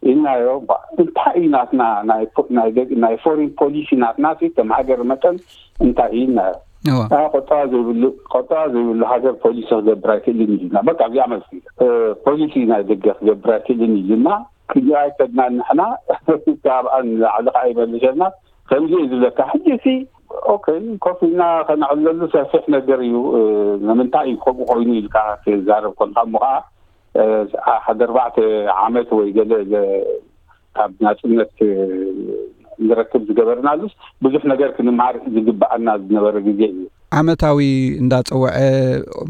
ኢልናዮ፣ "ባ፣ እንታይ እዩ ናትና ናይ ፖ-፣ ናይ ደግ-፣ ናይ ፎሪን ፖሊሲ ናትና ሲ ከም ሃገር መጠን እንታይ እዩ?" ኢልናዮ። እዋ። "አ፣ ቆጠባ ዘይብሉ፣ ቆጠባ ዘይብሉ ሃገር ፖሊሲ ክገብር ኣይክእልን" እዩ ኢልና። በቃ እዚኣ መልሲ። እ፣ ፖሊሲ ናይ ደገ ክገብር ኣይክእልን እዩ ኢልና። ክንዲ ኣይከድናን ንሕና፣ ካብኣ ንላዕሊ ከዓ ይመልሰና። ከምዚ እዩ ዝብለካ። ሕጂ ሲ፣ ኦኬ፣ ኮፍ ኢልና ከነዕለሉ ሰፊሕ ነገር እዩ። እ፣ ንምንታይ እዩ ከምኡ ኮይኑ ኢልካ ትዛረብ ኮንካ እሞ ከዓ፣ እ፣ ሓደ ኣርባዕተ ዓመት ወይ ገለ ዘ-፣ ካብ ናጽነት፣ እ፣ ንረክብ ዝገበርናሉስ ብዙሕ ነገር ክንመሃር ዝግብኣና ዝነበረ ግዜ እዩ። ዓመታዊ እንዳጸውዐ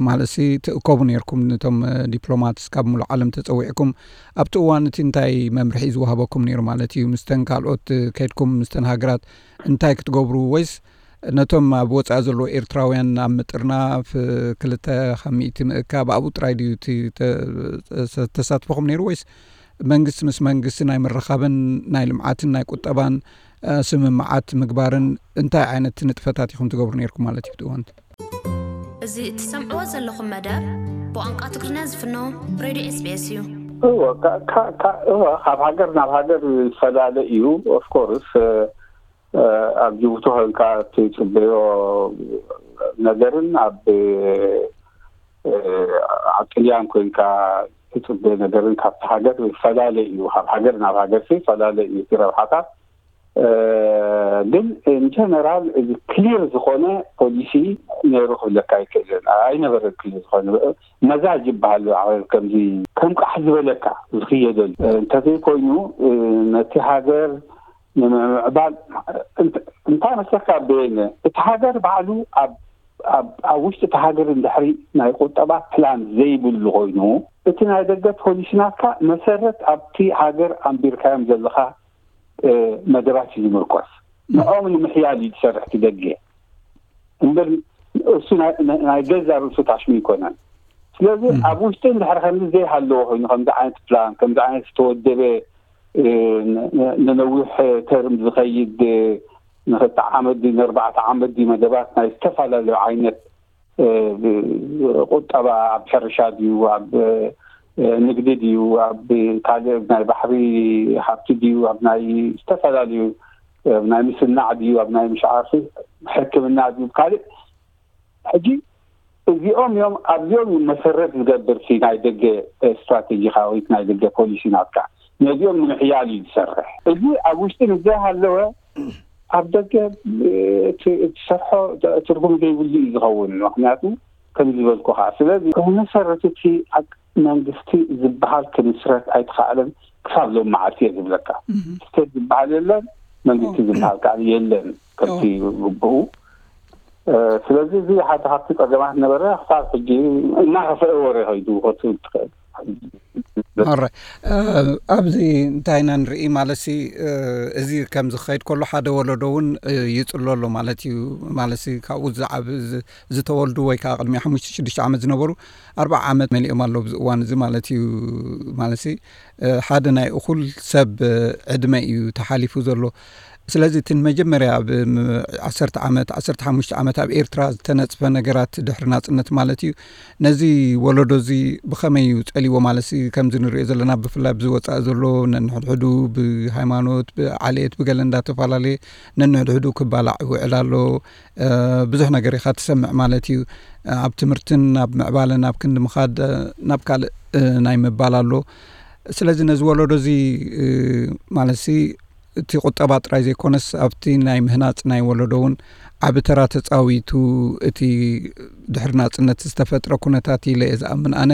ማለትሲ ትእከቡ ነይርኩም፣ ነቶም፣ እ፣ ዲፕሎማትስ ካብ ሙሉእ ዓለም ተጸዊዕኩም ኣብቲ እዋን እቲ እንታይ መምርሒ ዝወሃበኩም ነይሩ ማለት እዩ? ምስተን ካልኦት፣ እ፣ ከይድኩም ምስተን ሃገራት እንታይ ክትገብሩ ወይስ ነቶም ኣብ ወጻኢ ዘለዉ ኤርትራውያን ኣብ ምጥርናፍ ክልተ ካብ ሚእቲ ምእካብ ኣብኡ ጥራይ ድዩ እቲ ተ-፣ ተሳትፎኹም ነይሩ ወይስ መንግስቲ ምስ መንግስቲ ናይ ምርኻብን ናይ ልምዓትን ናይ ቁጠባን፣ እ፣ ስምምዓት ምግባርን እንታይ ዓይነት ንጥፈታት ኢኹም ትገብሩ ነይርኩም ማለት እዩ ብቲ እዋን? እዚ እትሰምዕዎ ዘለኹም መደብ ብቋንቋ ትግርኛ ዝፍኖ ሬድዮ ኤስ ቢ ኤስ እዩ። እወ፣ ካ-፣ ካ-፣ ካ-፣ እወ፣ ካብ ሃገር ናብ ሃገር ዝፈላለ እዩ። ኦፍ ኮርስ፣ እ፣ እ፣ ኣብ ጅቡቲ ኮንካ ትጽበዮ ነገርን ኣብ፣ እ፣ ኣብ ጥልያን ኮንካ ትጽበዮ ነገርን ካብቲ ሃገር ይፈላለ እዩ። ካብ ሃገር ናብ ሃገር ይፈላለ እዩ እቲ ረብሓታት። እ፣ ግን ኢን ጀነራል እዚ ክሊር ዝኾነ ፖሊሲ ነይሩ ክብለካ ኣይክእልን። ኣይነበረን ክሊር ዝኾነ። መዛጅ ይበሃል ኣብ ከምዚ ከም ቃሕ ዝበለካ ዝኽየደሉ። እ፣ እንተዘይኮይኑ፣ እ፣ ነቲ ሃገር ንምምዕባል እንት-፣ እንታይ መስለካ በየነ፣ እቲ ሃገር ባዕሉ ኣብ፣ ኣብ፣ ኣብ ውሽጢ እቲ ሃገር እንድሕሪ ናይ ቁጠባ ፕላን ዘይብሉ ኮይኑ፣ እቲ ናይ ደገ ፖሊሲ ናትካ መሰረት ኣብቲ ሃገር ኣንቢርካዮም ዘለኻ፣ እ፣ መደባት እዩ ዝምርኮስ። ንዕኦም ንምሕያል እዩ ዝሰርሕ እቲ ደገ። እምበር እሱ ናይ፣ ናይ፣ ናይ ገዛ ርእሱ ታሽሙ ኣይኮነን። ስለዚ እም። ኣብ ውሽጢ እንድሕር ከምዚ ዘይሃለዎ ኮይኑ፣ ከምዚ ዓይነት ፕላን፣ ከምዚ ዓይነት ዝተወደበ፣ እ፣ ን-፣ ን-፣ ንነዊሕ ተርም ዝኸይድ፣ እ፣ ንኽልተ ዓመት ድዩ፣ ንኣርባዕተ ዓመት ድዩ፣ መደባት ናይ ዝተፈላለዩ ዓይነት፣ እ፣ ብ-፣ ቁጠባ፣ ኣብ ሕርሻ ድዩ፣ ኣብ፣ እ፣ ንግዲ ድዩ፣ ኣብ ካልእ ናይ ባሕሪ ሃብቲ ድዩ፣ ኣብ ናይ ዝተፈላለዩ፣ ኣብ ናይ ምስናዕ ድዩ፣ ኣብ ናይ ምሽ ዓርፊ ሕክምና ድዩ፣ ካልእ። ሕጂ እዚኦም እዮም፣ ኣብዚኦም እዩ መሰረት ዝገብር እቲ ናይ ደገ ስትራቴጂኻዊ፣ ናይ ደገ ፖሊሲ ናትካ። ነዚኦም ንምሕያል እዩ ዝሰርሕ። እዚ ኣብ ውሽጢ ምስ ዘይሃለወ ኣብ ደገ እቲ፣ እትሰርሖ ትርጉም ዘይብሉ እዩ ዝኸውን። ምኽንያቱ ከም ዝበልኩኻ፣ ስለዚ ብመሰረት እቲ ኣብ መንግስቲ ዝበሃል ክምስረት ኣይተኻእለን ክሳብ ሎም መዓልቲ እየ ዝብለካ። እህ። ስቴት ዝበሃል የለን፣ መንግስቲ ኦ። ዝበሃል ከዓ የለን። ከምቲ ኦ። ግብኡ ስለዚ እዚ ሓደ ካብቲ ጸገማት ነበረ። ክሳብ ሕጂ እናኸፍአ ወረ ከይዱ ክትብል ትኽእል። ኣረ ኣብዚ እንታይ ኢና ንርኢ ማለትሲ፣ እዚ ከም ዝኸይድ ከሎ ሓደ ወለዶ እውን ይጽሎ ኣሎ ማለት እዩ። ማለትሲ ካብኡ ዝዓብ ዝተወልዱ ወይ ከዓ ቅድሚ ሓሙሽተ ሽዱሽተ ዓመት ዝነበሩ ኣርባዓ ዓመት መሊኦም ኣለዉ ኣብዚ እዋን እዚ ማለት እዩ። ማለትሲ ሓደ ናይ እኹል ሰብ ዕድመ እዩ ተሓሊፉ ዘሎ። ስለዚ እቲ ንመጀመርያ ኣብ ዓሰርተ ዓመት ዓሰርተ ሓሙሽተ ዓመት ኣብ ኤርትራ ዝተነጽፈ ነገራት ድሕሪ ናጽነት ማለት እዩ። ነዚ ወለዶ እዚ ብኸመይ እዩ ጸልዎ ማለት ከምዚ ንሪኦ ዘለና ብፍላይ ኣብዚ ወጻኢ ዘሎ ነንሕድሕዱ ብሃይማኖት ብዓሌት ብገለ እንዳተፈላለየ ነንሕድሕዱ ክባላዕ ይውዕል ኣሎ። ብዙሕ ነገር ኢኻ ትሰምዕ ማለት እዩ። ኣብ ትምህርትን ኣብ ምዕባለን ኣብ ክንዲ ምኻድ ናብ ካልእ ናይ ምባል ኣሎ። ስለዚ ነዚ ወለዶ እዚ ማለት እቲ ቁጠባ ጥራይ ዘይኮነስ ኣብቲ ናይ ምህናፅ ናይ ወለዶ እውን ዓቢ ተራ ተፃዊቱ እቲ ድሕሪ ናፅነት ዝተፈጥረ ኩነታት ኢለ እየ ዝኣምን ኣነ።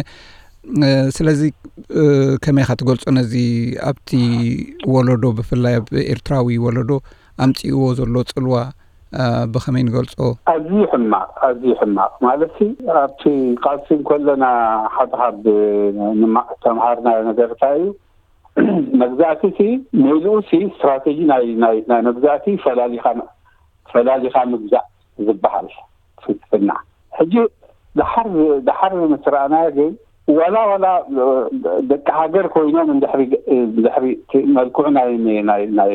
ስለዚ ከመይ ኢኻ ትገልፆ ነዚ ኣብቲ ወለዶ ብፍላይ ኣብ ኤርትራዊ ወለዶ ኣምፅእዎ ዘሎ ፅልዋ ብኸመይ ንገልፆ? ኣዝዩ ሕማቕ፣ ኣዝዩ ሕማቕ ማለት ኣብቲ ቃልሲ እንከለና ሓደ ካብ ተምሃርናዮ ነገር እንታይ እዩ? መግዛእቲ ሲ ሜልኡ ሲ ስትራቴጂ ናይ ናይ ናይ መግዛእቲ ፈላሊኻ ፈላሊኻ ምግዛእ ዝበሃል ፍልስፍና። ሕጂ ደሓር ደሓር ምስ ረኣናዮ ግን ዋላ ዋላ ደቂ ሃገር ኮይኖም እንድሕሪ እንድሕሪ እቲ መልክዑ ናይ ናይ ናይ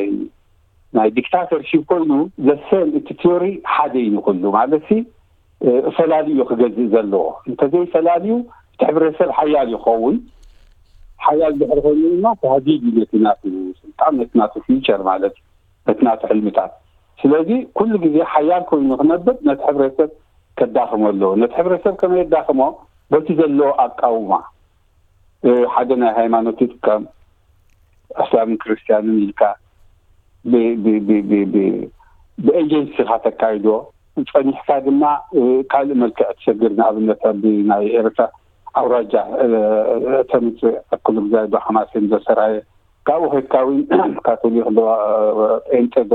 ናይ ዲክታተርሺፕ ኮይኑ ዘሰን እቲ ቲዮሪ ሓደ እዩ ንኩሉ ማለት ሲ ፈላልዩ ክገዝእ ዘለዎ እንተዘይ ፈላልዩ እቲ ሕብረተሰብ ሓያል ይኸውን። ሓያል ድሕሪ ኮይኑ ድማ ተሃዲድ እዩ ነቲ ናቱ ስልጣን ነቲ ናቱ ፊውቸር ማለት ነቲ ናቱ ሕልምታት። ስለዚ ኩሉ ግዜ ሓያል ኮይኑ ክነብር ነቲ ሕብረተሰብ ከዳኽሞ ኣለዎ። ነቲ ሕብረተሰብ ከመይ የዳኽሞ? በቲ ዘለዎ ኣቃውማ ሓደ ናይ ሃይማኖት ይጥቀም እስላምን ክርስትያንን ኢልካ ብኤጀንሲ ኢኻ ተካይዶ። ጸኒሕካ ድማ ካልእ መልክዕ ትሰግር። ንኣብነት ኣብ ናይ ኤርትራ ኣውራጃ ተምፅእ ኣክሉ ብዛይ ዶ ሓማሴን ዶ ሰራየ ካብኡ ከድካ እውን ካቶሊክ ዶ ጴንጤ ዶ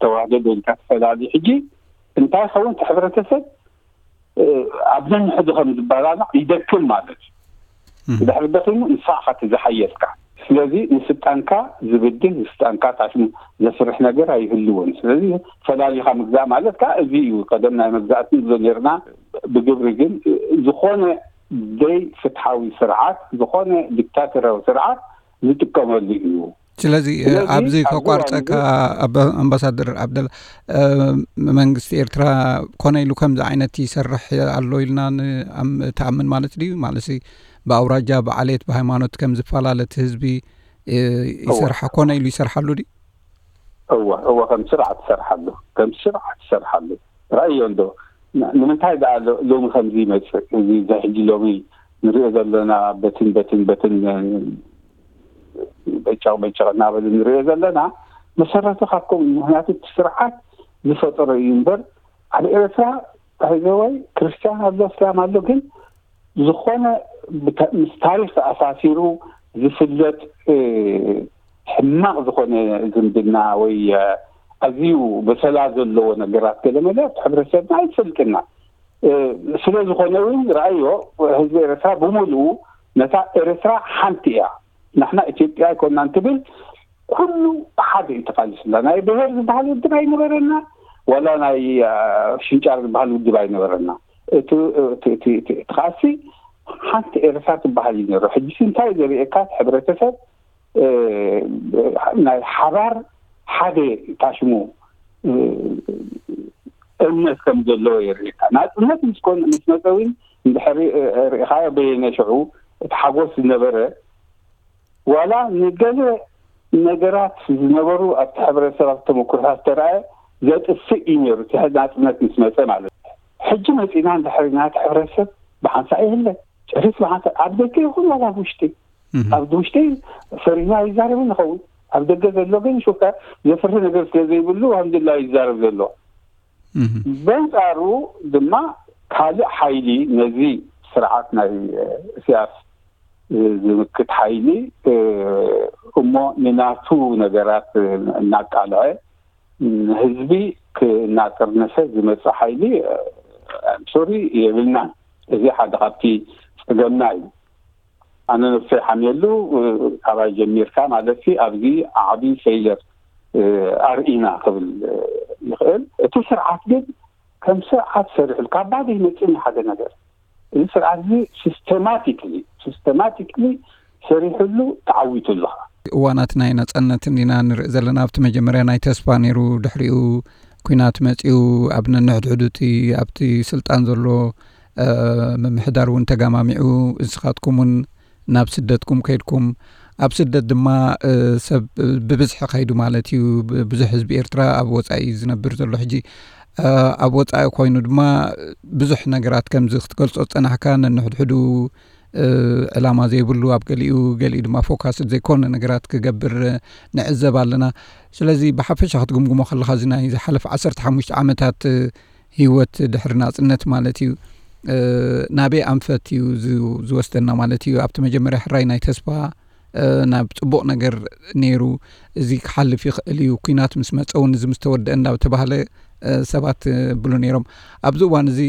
ተዋህዶ ዶ ኢልካ ትፈላሊ። ሕጂ እንታይ ይኸውን እቲ ሕብረተሰብ ኣብ ነንሕዱ ከም ዝበላላዕ ይደክም ማለት እዩ። ድሕሪ ደኺሙ ንስኻ ኢኻ እቲ ዝሓየልካ። ስለዚ ንስልጣንካ ዝብድል ንስልጣንካ ታሽሙ ዘፍርሕ ነገር ኣይህልዎን። ስለዚ ፈላሊኻ ምግዛእ ማለት ከዓ እዚ እዩ። ቀደም ናይ መግዛእቲ ንብሎ ነርና። ብግብሪ ግን ዝኾነ ደይ ፍትሓዊ ስርዓት ዝኾነ ዲክታተራዊ ስርዓት ዝጥቀመሉ እዩ። ስለዚ ኣብዚ ከቋርፀካ ኣምባሳደር ዓብደላ፣ መንግስቲ ኤርትራ ኮነ ኢሉ ከምዚ ዓይነት ይሰርሕ ኣሎ ኢልና ትኣምን ማለት ድዩ? ማለት ብኣውራጃ ብዓሌት ብሃይማኖት ከም ዝፈላለ እቲ ህዝቢ ይሰርሓ ኮነ ኢሉ ይሰርሓሉ ድዩ? እወ እወ ከም ስርዓት ትሰርሓሉ ከም ስርዓት ትሰርሓሉ። ራእዮ እንዶ ንምንታይ ደኣ ሎሚ ከምዚ ይመፅእ እዚ ሕጂ ሎሚ ንሪኦ ዘለና በትን በትን በትን በጫቕ በጫቕ እናበሉ ንሪኦ ዘለና መሰረቱ ካብከም ምክንያቱ እቲ ስርዓት ዝፈጠሮ እዩ እምበር ኣብ ኤርትራ ታይዘወይ ክርስትያን ኣሎ እስላም ኣሎ ግን ዝኾነ ምስ ታሪክ ተኣሳሲሩ ዝፍለጥ ሕማቕ ዝኾነ ዝምድና ወይ ኣዝዩ በሰላ ዘለዎ ነገራት ገለመለ ኣብቲ ሕብረተሰብና ኣይፈልጥና። ስለ ዝኾነ እውን ረኣዮ ህዝቢ ኤርትራ ብምሉኡ ነታ ኤርትራ ሓንቲ እያ። ንሕና ኢትዮጵያ ኣይኮንና እንትብል ኩሉ ሓደ እዩ ተቃሊስና። ናይ ብሄር ዝበሃል ውድብ ኣይነበረና ዋላ ናይ ሽንጫር ዝበሃል ውድብ ኣይነበረና። እቲ ቃልሲ ሓንቲ ኤርትራ ትበሃል እዩ ነሩ። ሕጂ እንታይ ዘርእየካ ሕብረተሰብ ናይ ሓባር ሓደ ታሽሙ እምነት ከም ዘለዎ የርእየካ። ናፅነት ምስ መፀ እውን እንድሕሪ ርኢኻዮ በየነ ሽዑ እቲ ሓጎስ ዝነበረ ዋላ ንገለ ነገራት ዝነበሩ ኣብቲ ሕብረተሰብ ኣብቲ ተመኩሮታት ዝተረኣየ ዘጥፍእ እዩ ነሩ እቲ ናፅነት ምስ መፀ ማለት እዩ። ሕጂ መፂና እንድሕሪ ናቲ ሕብረተሰብ ብሓንሳእ የለን ጨሪስ ብሓንሳእ ኣብ ደገ ይኹን ዋላ ኣብ ውሽጢ ኣብ ውሽጢ ፈሪህና ይዛረብ ንኸውን ኣብ ደገ ዘሎ ግን ሹካ ዘፍርህ ነገር ስለ ዘይብሉ ኣልሓምዱላ ይዛረብ ዘሎ። በንፃሩ ድማ ካልእ ሓይሊ ነዚ ስርዓት ናይ እስያስ ዝምክት ሓይሊ እሞ ንናቱ ነገራት እናቃልዐ ንህዝቢ እናጠርነፈ ዝመጽእ ሓይሊ፣ ሶሪ፣ የብልናን። እዚ ሓደ ካብቲ ጸገምና እዩ። ኣነ ነብሰይ ሓምየሉ፣ ካባይ ጀሚርካ ማለት ሲ ኣብዚ ዓቢ ፌይለር ኣርኢና ክብል ይኽእል። እቲ ስርዓት ግን ከም ስርዓት ሰሪሕሉ ካብ ባዶ ይመጽእ ሓደ ነገር። እዚ ስርዓት እዚ ሲስተማቲክሊ፣ ሲስተማቲክሊ ሰሪሕሉ ተዓዊቱ ኣለኻ። እዋናት ናይ ናጽነትን ኢና ንርኢ ዘለና። ኣብቲ መጀመርያ ናይ ተስፋ ነይሩ፣ ድሕሪኡ ኲናት መጺኡ፣ ኣብ ነንሕድሕዱ እቲ ኣብቲ ስልጣን ዘሎ፣ እ፣ ምምሕዳር እውን ተጋማሚዑ፣ ንስኻትኩም እውን ናብ ስደትኩም ከይድኩም፣ ኣብ ስደት ድማ፣ እ፣ ሰብ ብብዝሒ ከይዱ ማለት እዩ። ብ-፣ ብዙሕ ህዝቢ ኤርትራ ኣብ ወጻኢ እዩ ዝነብር ዘሎ ሕጂ። እ፣ ኣብ ወጻኢ ኮይኑ ድማ ብዙሕ ነገራት ከምዚ ክትገልጾ ዝጸናሕካ ነንሕድሕዱ፣ እ፣ ዕላማ ዘይብሉ፣ ኣብ ገሊኡ፣ ገሊኡ ድማ ፎካስ ዘይኮነ ነገራት ክገብር ንዕዘብ ኣለና። ስለዚ ብሓፈሻ ክትግምግሞ ከለኻ፣ እዚ ናይ ዝሓለፈ ዓሰርተ ሓሙሽተ ዓመታት፣ እ፣ ህይወት ድሕሪ ናጽነት ማለት እዩ፣ እ፣ ናበይ ኣንፈት እዩ ዝ-፣ ዝወስደና ማለት እዩ? ኣብቲ መጀመርያ ሕራይ ናይ ተስፋ፣ እ፣ ናብ ጽቡቕ ነገር ነይሩ፣ እዚ ክሓልፍ ይኽእል እዩ፣ ኲናት ምስ መጸ እውን እዚ ምስ ተወደአ እንዳተባህለ፣ እ፣ ሰባት ይብሉ ነይሮም። ኣብዚ እዋን እዚ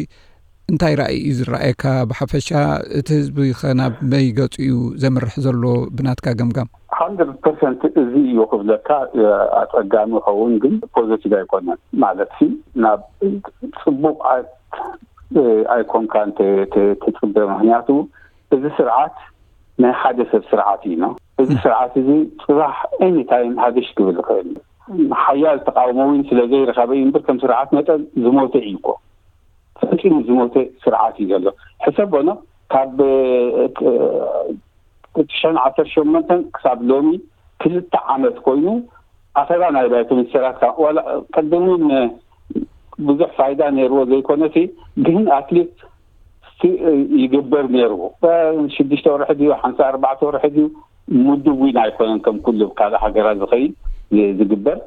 እንታይ ራእይ እዩ ዝረኣየካ ብሓፈሻ? እቲ ህዝቢ ኸ ናብ መይ ገጹ እዩ ዘምርሕ ዘሎ ብናትካ ገምጋም? ሃንድረድ ፐርሰንት እዚ እዩ ክብለካ፣ እ፣ ኣጸጋሚ ይኸውን፣ ግን ፖዘቲቭ ኣይኮነን። ማለት ሲ ናብ ጽቡቕ ኣይ-፣ እ፣ ኣይኮንካን ተ-፣ ተ-፣ ትጽበ። ምኽንያቱ እዚ ስርዓት ናይ ሓደ ሰብ ስርዓት እዩ ነው። እዚ ስርዓት እዚ ጽባሕ ኤኒታይም ሃገሽ ክብል ይኽእል እዩ። ሓያል ተቃውሞ እውን ስለ ዘይረኸበ እዩ እምበር ከም ስርዓት መጠን ዝሞተ እዩ እኮ። ፈጺሙ ዝሞተ ስርዓት እዩ ዘሎ። ሕሰቦ ነው፣ ካብ፣ እ፣ ትሽዓን ዓሰርተ ሸሞንተን ክሳብ ሎሚ ክልተ ዓመት ኮይኑ ኣኼባ ናይ ባይቶ ሚኒስተራት፣ ካብ ዋላ ቅድም እውን ብዙሕ ፋይዳ ነይርዎ ዘይኮነሲ፣ ግን ኣትሊስት እስቲ ይግበር ነይርዎ። ሽዱሽተ ወርሒ ድዩ፣ ሓንሳ ኣርባዕተ ወርሒ ድዩ፣ ምዱብ እውን ኣይኮነን ከም ኩሉ ካልእ ሃገራት ዝኸይድ ዝ-፣ ዝግበር።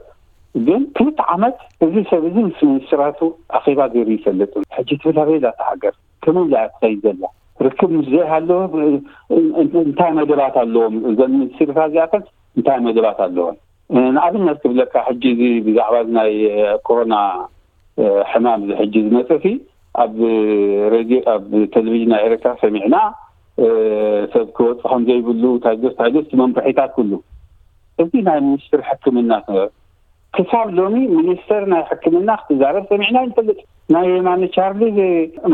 ግን ክልተ ዓመት እዚ ሰብ እዚ ምስ ሚኒስትራቱ ኣኼባ ገይሩ ይፈልጥ። ሕጂ ትብል ኣበይ እያ እታ ሃገር? ከመይ ኢላ እያ ትኸይድ ዘላ? ርክብ ምስ ዘይሃለወ እ-፣ እ-፣ እንታይ መደባት ኣለዎም? እዘን ሚኒስትሪታት እዚኣተን እንታይ መደባት ኣለወን? እ፣ ንኣብነት ክብለካ፣ ሕጂ እዚ ብዛዕባ እዚ ናይ፣ እ፣ ኮሮና፣ እ፣ ሕማም እዚ ሕጂ ዝመጸ ሲ ኣብ ሬድዮ፣ ኣብ ቴሌቪዥን ናይ ኤርትራ ሰሚዕና፣ እ፣ ሰብ ክወጽእ ከም ዘይብሉ፣ ታይዶስ፣ ታይዶስ፣ እቲ መምርሒታት ኩሉ። እዚ ናይ ሚኒስትሪ ሕክምና ክሳብ ሎሚ ሚኒስተር ናይ ሕክምና ክትዛረብ ሰሚዕና ይንፈልጥ። ናይ የማነ ቻርሊ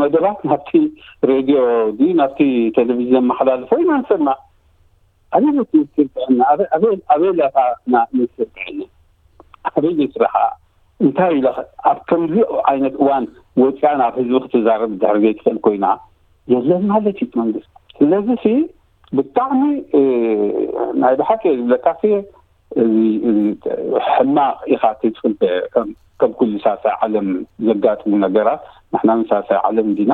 መደባት ናብቲ ሬድዮ ድዩ ናብቲ ቴሌቪዥን ዘመሓላልፎ ኢና ንሰማዕ። ኣበይ ቤት ሚኒስትር ጥዕና? ኣበይ፣ ኣበይ፣ ኣበይ ላታ ና ሚኒስትር ጥዕና? ኣበይ ይስራሓ? እንታይ ኢለ ኣብ ከምዚ ዓይነት እዋን ወፂኣ ናብ ህዝቢ ክትዛረብ ድሕሪ ዘይትኽእል ኮይና የለን ማለት እዩ መንግስቲ። ስለዚ ሲ ብጣዕሚ፣ እ፣ ናይ ብሓቂ እየ ዝብለካ ሲ፣ እዚ፣ እዚ ሕማቕ ኢኻ ትጽበ። ከም፣ ከም ኩሉ ሳልሳይ ዓለም ዘጋጥሙ ነገራት፣ ንሕና ውን ሳልሳይ ዓለም እንዲና።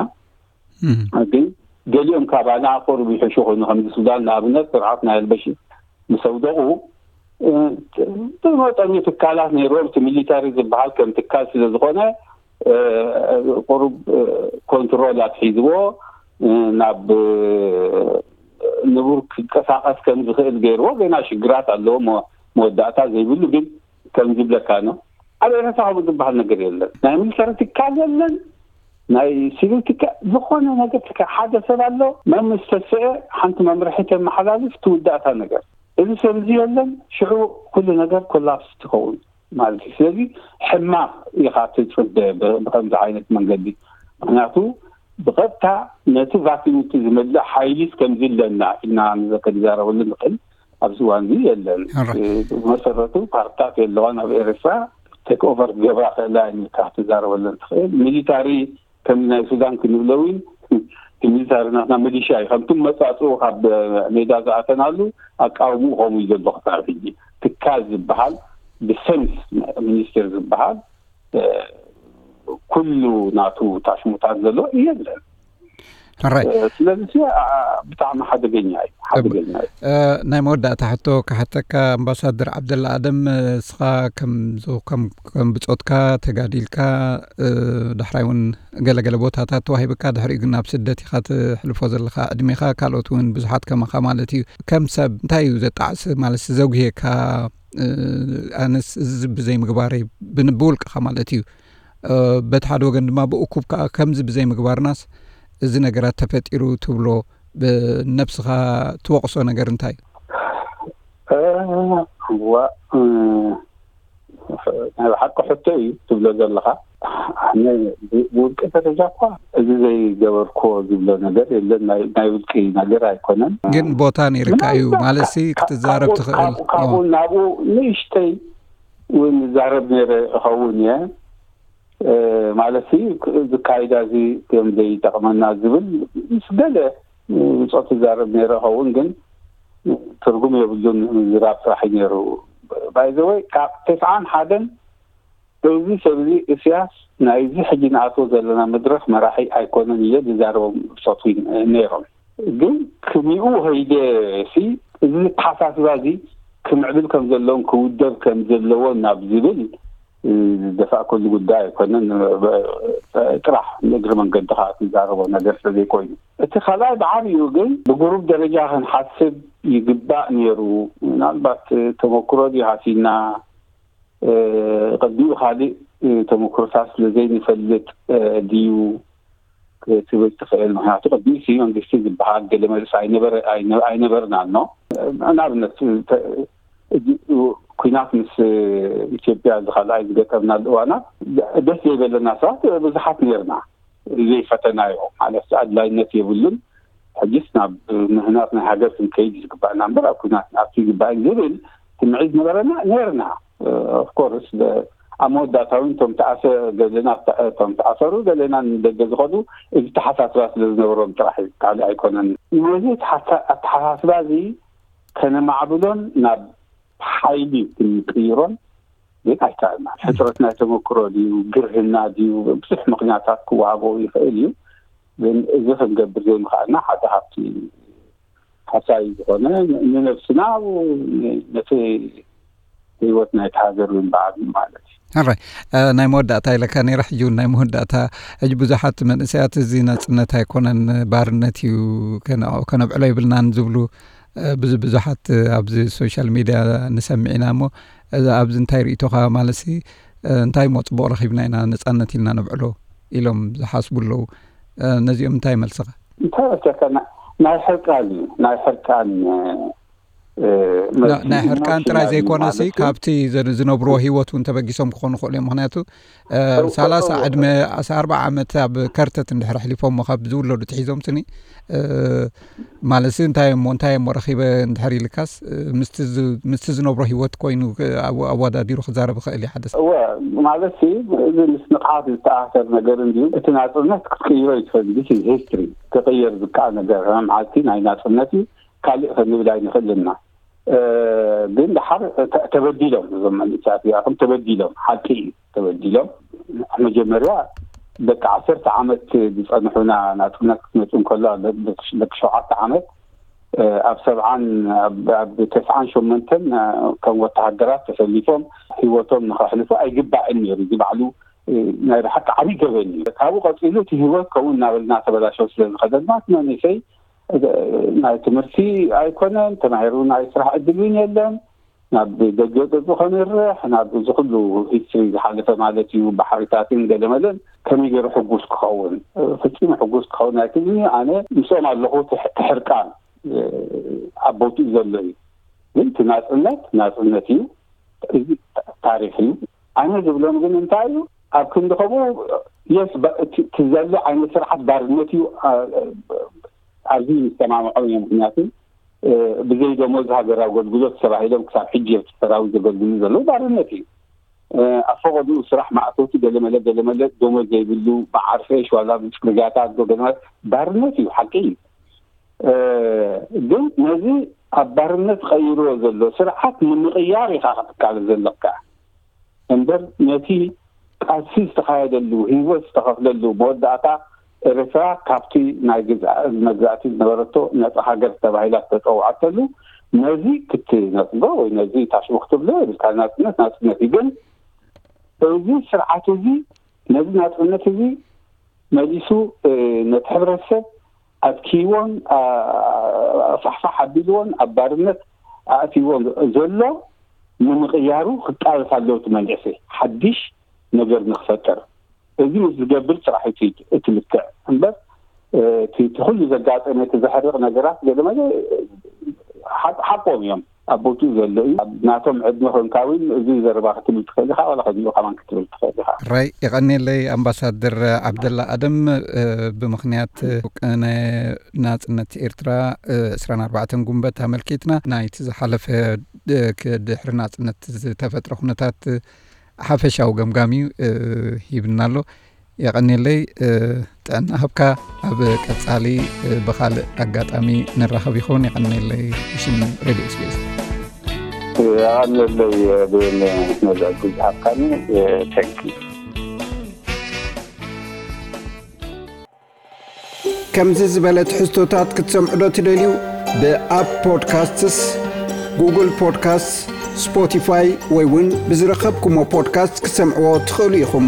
እም። ግን ገሊኦም ካባና ቁሩብ ይሕሹ ኮይኑ፣ ከምዚ ሱዳን ንኣብነት ስርዓት ናይ ኣልበሽር ምስ ኣውደቑ፣ እ፣ ብመጠኑ ትካላት ነይሮም። እቲ ሚሊታሪ ዝበሃል ከም ትካል ስለ ዝኾነ፣ እ፣ ቁሩብ፣ እ፣ ኮንትሮል ኣትሒዝዎ፣ እ፣ ናብ፣ እ፣ ንቡር ክንቀሳቐስ ከም ዝኽእል ገይርዎ። ገና ሽግራት ኣለዎ፣ መ-፣ መወዳእታ ዘይብሉ። ግን ከም ዝብለካ ነው፣ ኣብ ኤረትራ ከምኡ ዝበሃል ነገር የለን። ናይ ሚሊተሪ ትካል የለን፣ ናይ ሲቪል ትካል፣ ዝኾነ ነገር ትካል። ሓደ ሰብ ኣሎ፣ መን ምስ ተስአ ሓንቲ መምርሒ ተመሓላልፍ፣ ትውዳእታ ነገር። እዚ ሰብ እዚ የለን፣ ሽዑ ኩሉ ነገር ኮላፕስ ትኸውን ማለት እዩ። ስለዚ ሕማቕ ኢኻ ትጽበ ብ-፣ ብኸምዚ ዓይነት መንገዲ። ምኽንያቱ ብቐጥታ ነቲ ቫኪዩም እቲ ዝመልእ ሓይሊስ ከምዚ ኣለና ኢልና ንዘ-፣ ክንዛረበሉ ንኽእል ኣብዚ እዋን እዚ የለን። ሕራይ። እ፣ ብመሰረቱ ፓርትታት የለዋን ኣብ ኤርትራ። ቴክ ኦቨር ክገብራ ክእላ ኢልካ ክትዛረበለን ትኽእል። ሚሊታሪ ከም ናይ ሱዳን ክንብሎ እውን፣ እቲ ሚሊታሪ ናትና ሚሊሻ እዩ። ከምቲ መጻጽኡ ካብ ሜዳ ዝኣተናሉ ኣቃውምኡ ከምኡ እዩ ዘሎ ክሳብ ሕጂ። ትካል ዝበሃል፣ ዲፌንስ ሚኒስቴር ዝበሃል፣ እ፣ ኩሉ ናቱ ታሽሙታት ዘሎ የለን። ሕራይ። እ፣ ስለዚ ሲ፣ ኣ፣ ብጣዕሚ ሓደገኛ እዩ፣ ሓደገኛ እዩ። እ፣ ናይ መወዳእታ ሕቶ ክሓተካ፣ ኣምባሳደር ዓብደላ ኣደም፣ እስኻ ከም ዝ-፣ ከም፣ ከም ብጾትካ ተጋዲልካ፣ እ፣ ዳሕራይ እውን ገለገለ ቦታታት ተዋሂብካ፣ ድሕሪኡ ግን ኣብ ስደት ኢኻ ትሕልፎ ዘለኻ ዕድሜኻ፣ ካልኦት እውን ብዙሓት ከማኻ ማለት እዩ። ከም ሰብ እንታይ እዩ ዘጣዕስ ማለት ዘጉህየካ? እ፣ ኣነስ እዚ ብዘይምግባረይ ብን-፣ ብውልቅኻ ማለት እዩ። በቲ ሓደ ወገን ድማ ብእኩብ ከዓ ከምዚ ብዘይምግባርናስ እዚ ነገራት ተፈጢሩ ትብሎ፣ ብነብስኻ ትወቕሶ ነገር እንታይ እዩ? እዋ፣ ናይ ብሓቂ ሕቶ እዩ ትብሎ ዘለኻ። ኣነ ብውልቂ ደረጃ እኳ እዚ ዘይገበርኮ ዝብሎ ነገር የለን። ናይ ውልቂ ነገር ኣይኮነን። ግን ቦታ ነይርካ እዩ ማለት ክትዛረብ ትኽእል። ካብኡ ናብኡ ንእሽተይ እውን ዛረብ ነይረ እኸውን እየ ማለት ዝካይዳ እዚ ከም ዘይጠቕመና ዝብል ምስ ገለ ብፆት ዛረብ ነይረ እኸውን። ግን ትርጉም የብሉን ምዝራብ ጥራሕ እዩ ነይሩ። ባይዘወይ ካብ ተስዓን ሓደን እዚ ሰብ እዚ እስያስ ናይዚ ሕጂ ንኣትዎ ዘለና መድረኽ መራሒ ኣይኮነን እየ ዝዛረቦም ብፆት ነይሮም። ግን ክሚኡ ኸይደ ሲ እዚ ኣተሓሳስባ እዚ ክምዕብል ከም ዘለዎን ክውደብ ከም ዘለዎን ናብ ዝብል ዝደፋእከሉ ጉዳይ ኣይኮነን። ጥራሕ ንእግሪ መንገዲ ከዓ ትዛረቦ ነገር ስለዘይኮይኑ እቲ ካልኣይ ብዓብዩ ግን ብጉሩብ ደረጃ ክንሓስብ ይግባእ ነይሩ። ምናልባት ተመክሮ ድዩ ሃሲና ቅድሚኡ ካልእ ተመክሮታት ስለዘይንፈልጥ ድዩ ክትብል ትኽእል። ምክንያቱ ቅድሚኡ መንግስቲ ዝበሃል ገለ መልስ ኣይነበርናን። ንኣብነት ኩናት ምስ ኢትዮጵያ ዝካልኣይ ዝገጠምናሉ እዋናት ደስ ዘይበለና ሰባት ብዙሓት ነርና። ዘይፈተናዮ ማለት ኣድላይነት የብሉን። ሕጅስ ናብ ምህናት ናይ ሃገር ክንከይድ ዝግባእና እምበር ኣብ ኩናት ንኣቱ ይግባእ ዝብል ስምዒት ዝነበረና ነርና። ኦፍኮርስ ኣብ መወዳእታ እውን እቶም ተኣሰ ገለና እቶም ተኣሰሩ ገለና ንደገ ዝኸዱ እዚ ተሓሳስባ ስለ ዝነበሮም ጥራሕ እዩ፣ ካልእ ኣይኮነን። ነዚ ኣተሓሳስባ እዚ ከነማዕብሎን ናብ ሓይሊ ክንቅይሮን ግን ኣይከኣልና። ሕፅረት ናይ ተመክሮ ድዩ፣ ግርህና ድዩ፣ ብዙሕ ምክንያታት ክወሃቦ ይኽእል እዩ። ግን እዚ ክንገብር ዘይምኽኣልና ሓደ ካብቲ ሓሳይ ዝኾነ ንነብስና ነቲ ህይወት ናይቲ ሃገር እውን ብዓብዩ ማለት እዩ። ሕራይ ናይ መወዳእታ ኢለካ ነይረ። ሕጂ እውን ናይ መወዳእታ። ሕጂ ብዙሓት መንእሰያት እዚ ናፅነት ኣይኮነን ባርነት እዩ ከነብዕሎ ይብልናን ዝብሉ ብዙ ብዙሓት ኣብዚ ሶሻል ሚድያ ንሰምዕ ኢና። እሞ ኣብዚ እንታይ ርእቶኻ ማለት ሲ እንታይ ሞ ፅቡቕ ረኺብና ኢና ነፃነት ኢልና ነብዕሎ ኢሎም ዝሓስቡ ኣለዉ። ነዚኦም እንታይ መልስኻ? እንታይ ወሰካ ናይ ሕርቃን እዩ ናይ ሕርቃን ናይ ሕርቃን ጥራይ ዘይኮነሲ ካብቲ ዝነብርዎ ህይወት እውን ተበጊሶም ክኾኑ ክኽእሉ እዮም። ምክንያቱ ሰላሳ ዕድመ ኣርባዓ ዓመት ኣብ ከርተት እንድሕር ኣሕሊፎሞ ካብ ዝውለዱ ትሒዞም ስኒ ማለት እንታይ እሞ እንታይ እሞ ረኺበ እንድሕር ኢልካስ ምስቲ ዝነብሮ ህይወት ኮይኑ ኣወዳዲሩ ክዛረብ ይኽእል እዩ ሓደ ሰብ። ማለት እዚ ምስ ንቕሓት ዝተኣሰር ነገር እንዲዩ። እቲ ናፅነት ክትቅይሮ ይትኽእል። ሂስትሪ ክቅየር ዝከኣል ነገር መዓልቲ ናይ ናፅነት እዩ። ካልእ ክንብል ኣይንኽእልና። ግን ድሓር ተበዲሎም እዞም መንእሰያት እዚኣቶም ተበዲሎም ሓቂ እዩ ተበዲሎም። መጀመርያ ደቂ ዓሰርተ ዓመት ዝፀንሑና ናፅነት ክትመፅእ እንከሎ ደቂ ሸውዓተ ዓመት ኣብ ሰብዓን ኣብ ተስዓን ሸመንተን ከም ወተሃደራት ተሰሊፎም ህይወቶም ንኸሕልፉ ኣይግባእን ነይሩ። እዚ ባዕሉ ናይ ብሓቂ ዓብዪ ገበን እዩ። ካብኡ ቀፂሉ እቲ ህይወት ከምኡ እናበልና ተበላሸው ስለዝኸደልና እቲ መንእሰይ ናይ ትምህርቲ ኣይኮነን ተማሂሩ ናይ ስራሕ ዕድል እውን የለን። ናብ ደገ ገፁ ከንርሕ ናብ እዚ ኩሉ ሂስትሪ ዝሓለፈ ማለት እዩ ባሕሪታትን ገለመለን ከመይ ገይሩ ሕጉስ ክኸውን ፍፂሙ ሕጉስ ክኸውን ኣይክልን እዩ። ኣነ ምስኦም ኣለኹ። ትሕርቃን ኣብ ቦትኡ ዘሎ እዩ። ግን እቲ ናፅነት ናፅነት እዩ። እዚ ታሪክ እዩ። ኣነ ዝብሎም ግን እንታይ እዩ ኣብ ክንዲ ከምኡ የስ እቲ ዘሎ ዓይነት ስርዓት ባርነት እዩ። ኣብዚ ምስተማምዖም እዮም። ምክንያቱ ብዘይ ደሞዝ ሃገር ኣገልግሎት ተባሂሎም ክሳብ ሕጂ ኣብቲ ሰራዊት ዘገልግሉ ዘለዉ ባርነት እዩ። ኣብ ፈቐድኡ ስራሕ ማእቶቲ ገለመለ ገለመለ ደሞዝ ዘይብሉ ብዓርፌሽ ዋላ ብፅርግያታት ዶ ገለመለ ባርነት እዩ። ሓቂ እዩ። ግን ነዚ ኣብ ባርነት ቀይርዎ ዘሎ ስርዓት ንምቕያር ኢኻ ክትቃለስ ዘለካ እምበር ነቲ ቃልሲ ዝተኻየደሉ ህይወት ዝተኸፍለሉ መወዳእታ ኤርትራ ካብቲ ናይ ግዝኣ መግዛእቲ ዝነበረቶ ነፃ ሃገር ተባሂላ ዝተፀውዐተሉ ነዚ ክትነፅጎ ወይ ነዚ ታሽሙ ክትብሎ የብልካ። ናፅነት ናፅነት እዩ። ግን እዚ ስርዓት እዚ ነዚ ናፅነት እዚ መሊሱ ነቲ ሕብረተሰብ ኣድኪይዎን ፋሕፋሕ ኣቢልዎን ኣብ ባርነት ኣእትይዎን ዘሎ ንምቕያሩ ክቃለስ ኣለዎ። እቲ መንእሰይ ሓድሽ ነገር ንክፈጥር እዚ ምስ ዝገብር ጥራሕ እዩ እቲ ልክዕ እምበር እቲ ኩሉ ዘጋጠመ እቲ ዘሕርቕ ነገራት ገለ መለ ሓቆም እዮም። ኣብ ቦትኡ ዘሎ እዩ። ናቶም ዕድመ ኮንካ እውን እዚ ዘረባ ክትብል ትኽእል ኢኻ፣ ዋላ ከዚኡ ከማን ክትብል ትኽእል ኢኻ። ራይ፣ የቐኔለይ ኣምባሳደር ዓብደላ ኣደም። ብምኽንያት ናጽነት ኤርትራ ዕስራን ኣርባዕተን ጉንበት ኣመልኪትና ናይቲ ዝሓለፈ ድሕሪ ናጽነት ዝተፈጥረ ኩነታት ሓፈሻዊ ገምጋም እዩ ሂብና ኣሎ። የቐኔለይ፣ ጥዕና ሃብካ። ኣብ ቀጻሊ ብኻልእ ኣጋጣሚ ንራኸብ ይኸውን። የቐኔለይ ብሽም ሬድዮ ስቤስ። የቐኔለይ ብን ነዛ ግዜ ሃብካኒ። ተንኪ። ከምዚ ዝበለ ትሕዝቶታት ክትሰምዑ ዶ ትደልዩ? ብኣፕ ፖድካስትስ፣ ጉግል ፖድካስትስ፣ ስፖቲፋይ ወይ እውን ብዝረኸብኩሞ ፖድካስት ክትሰምዕዎ ትኽእሉ ኢኹም።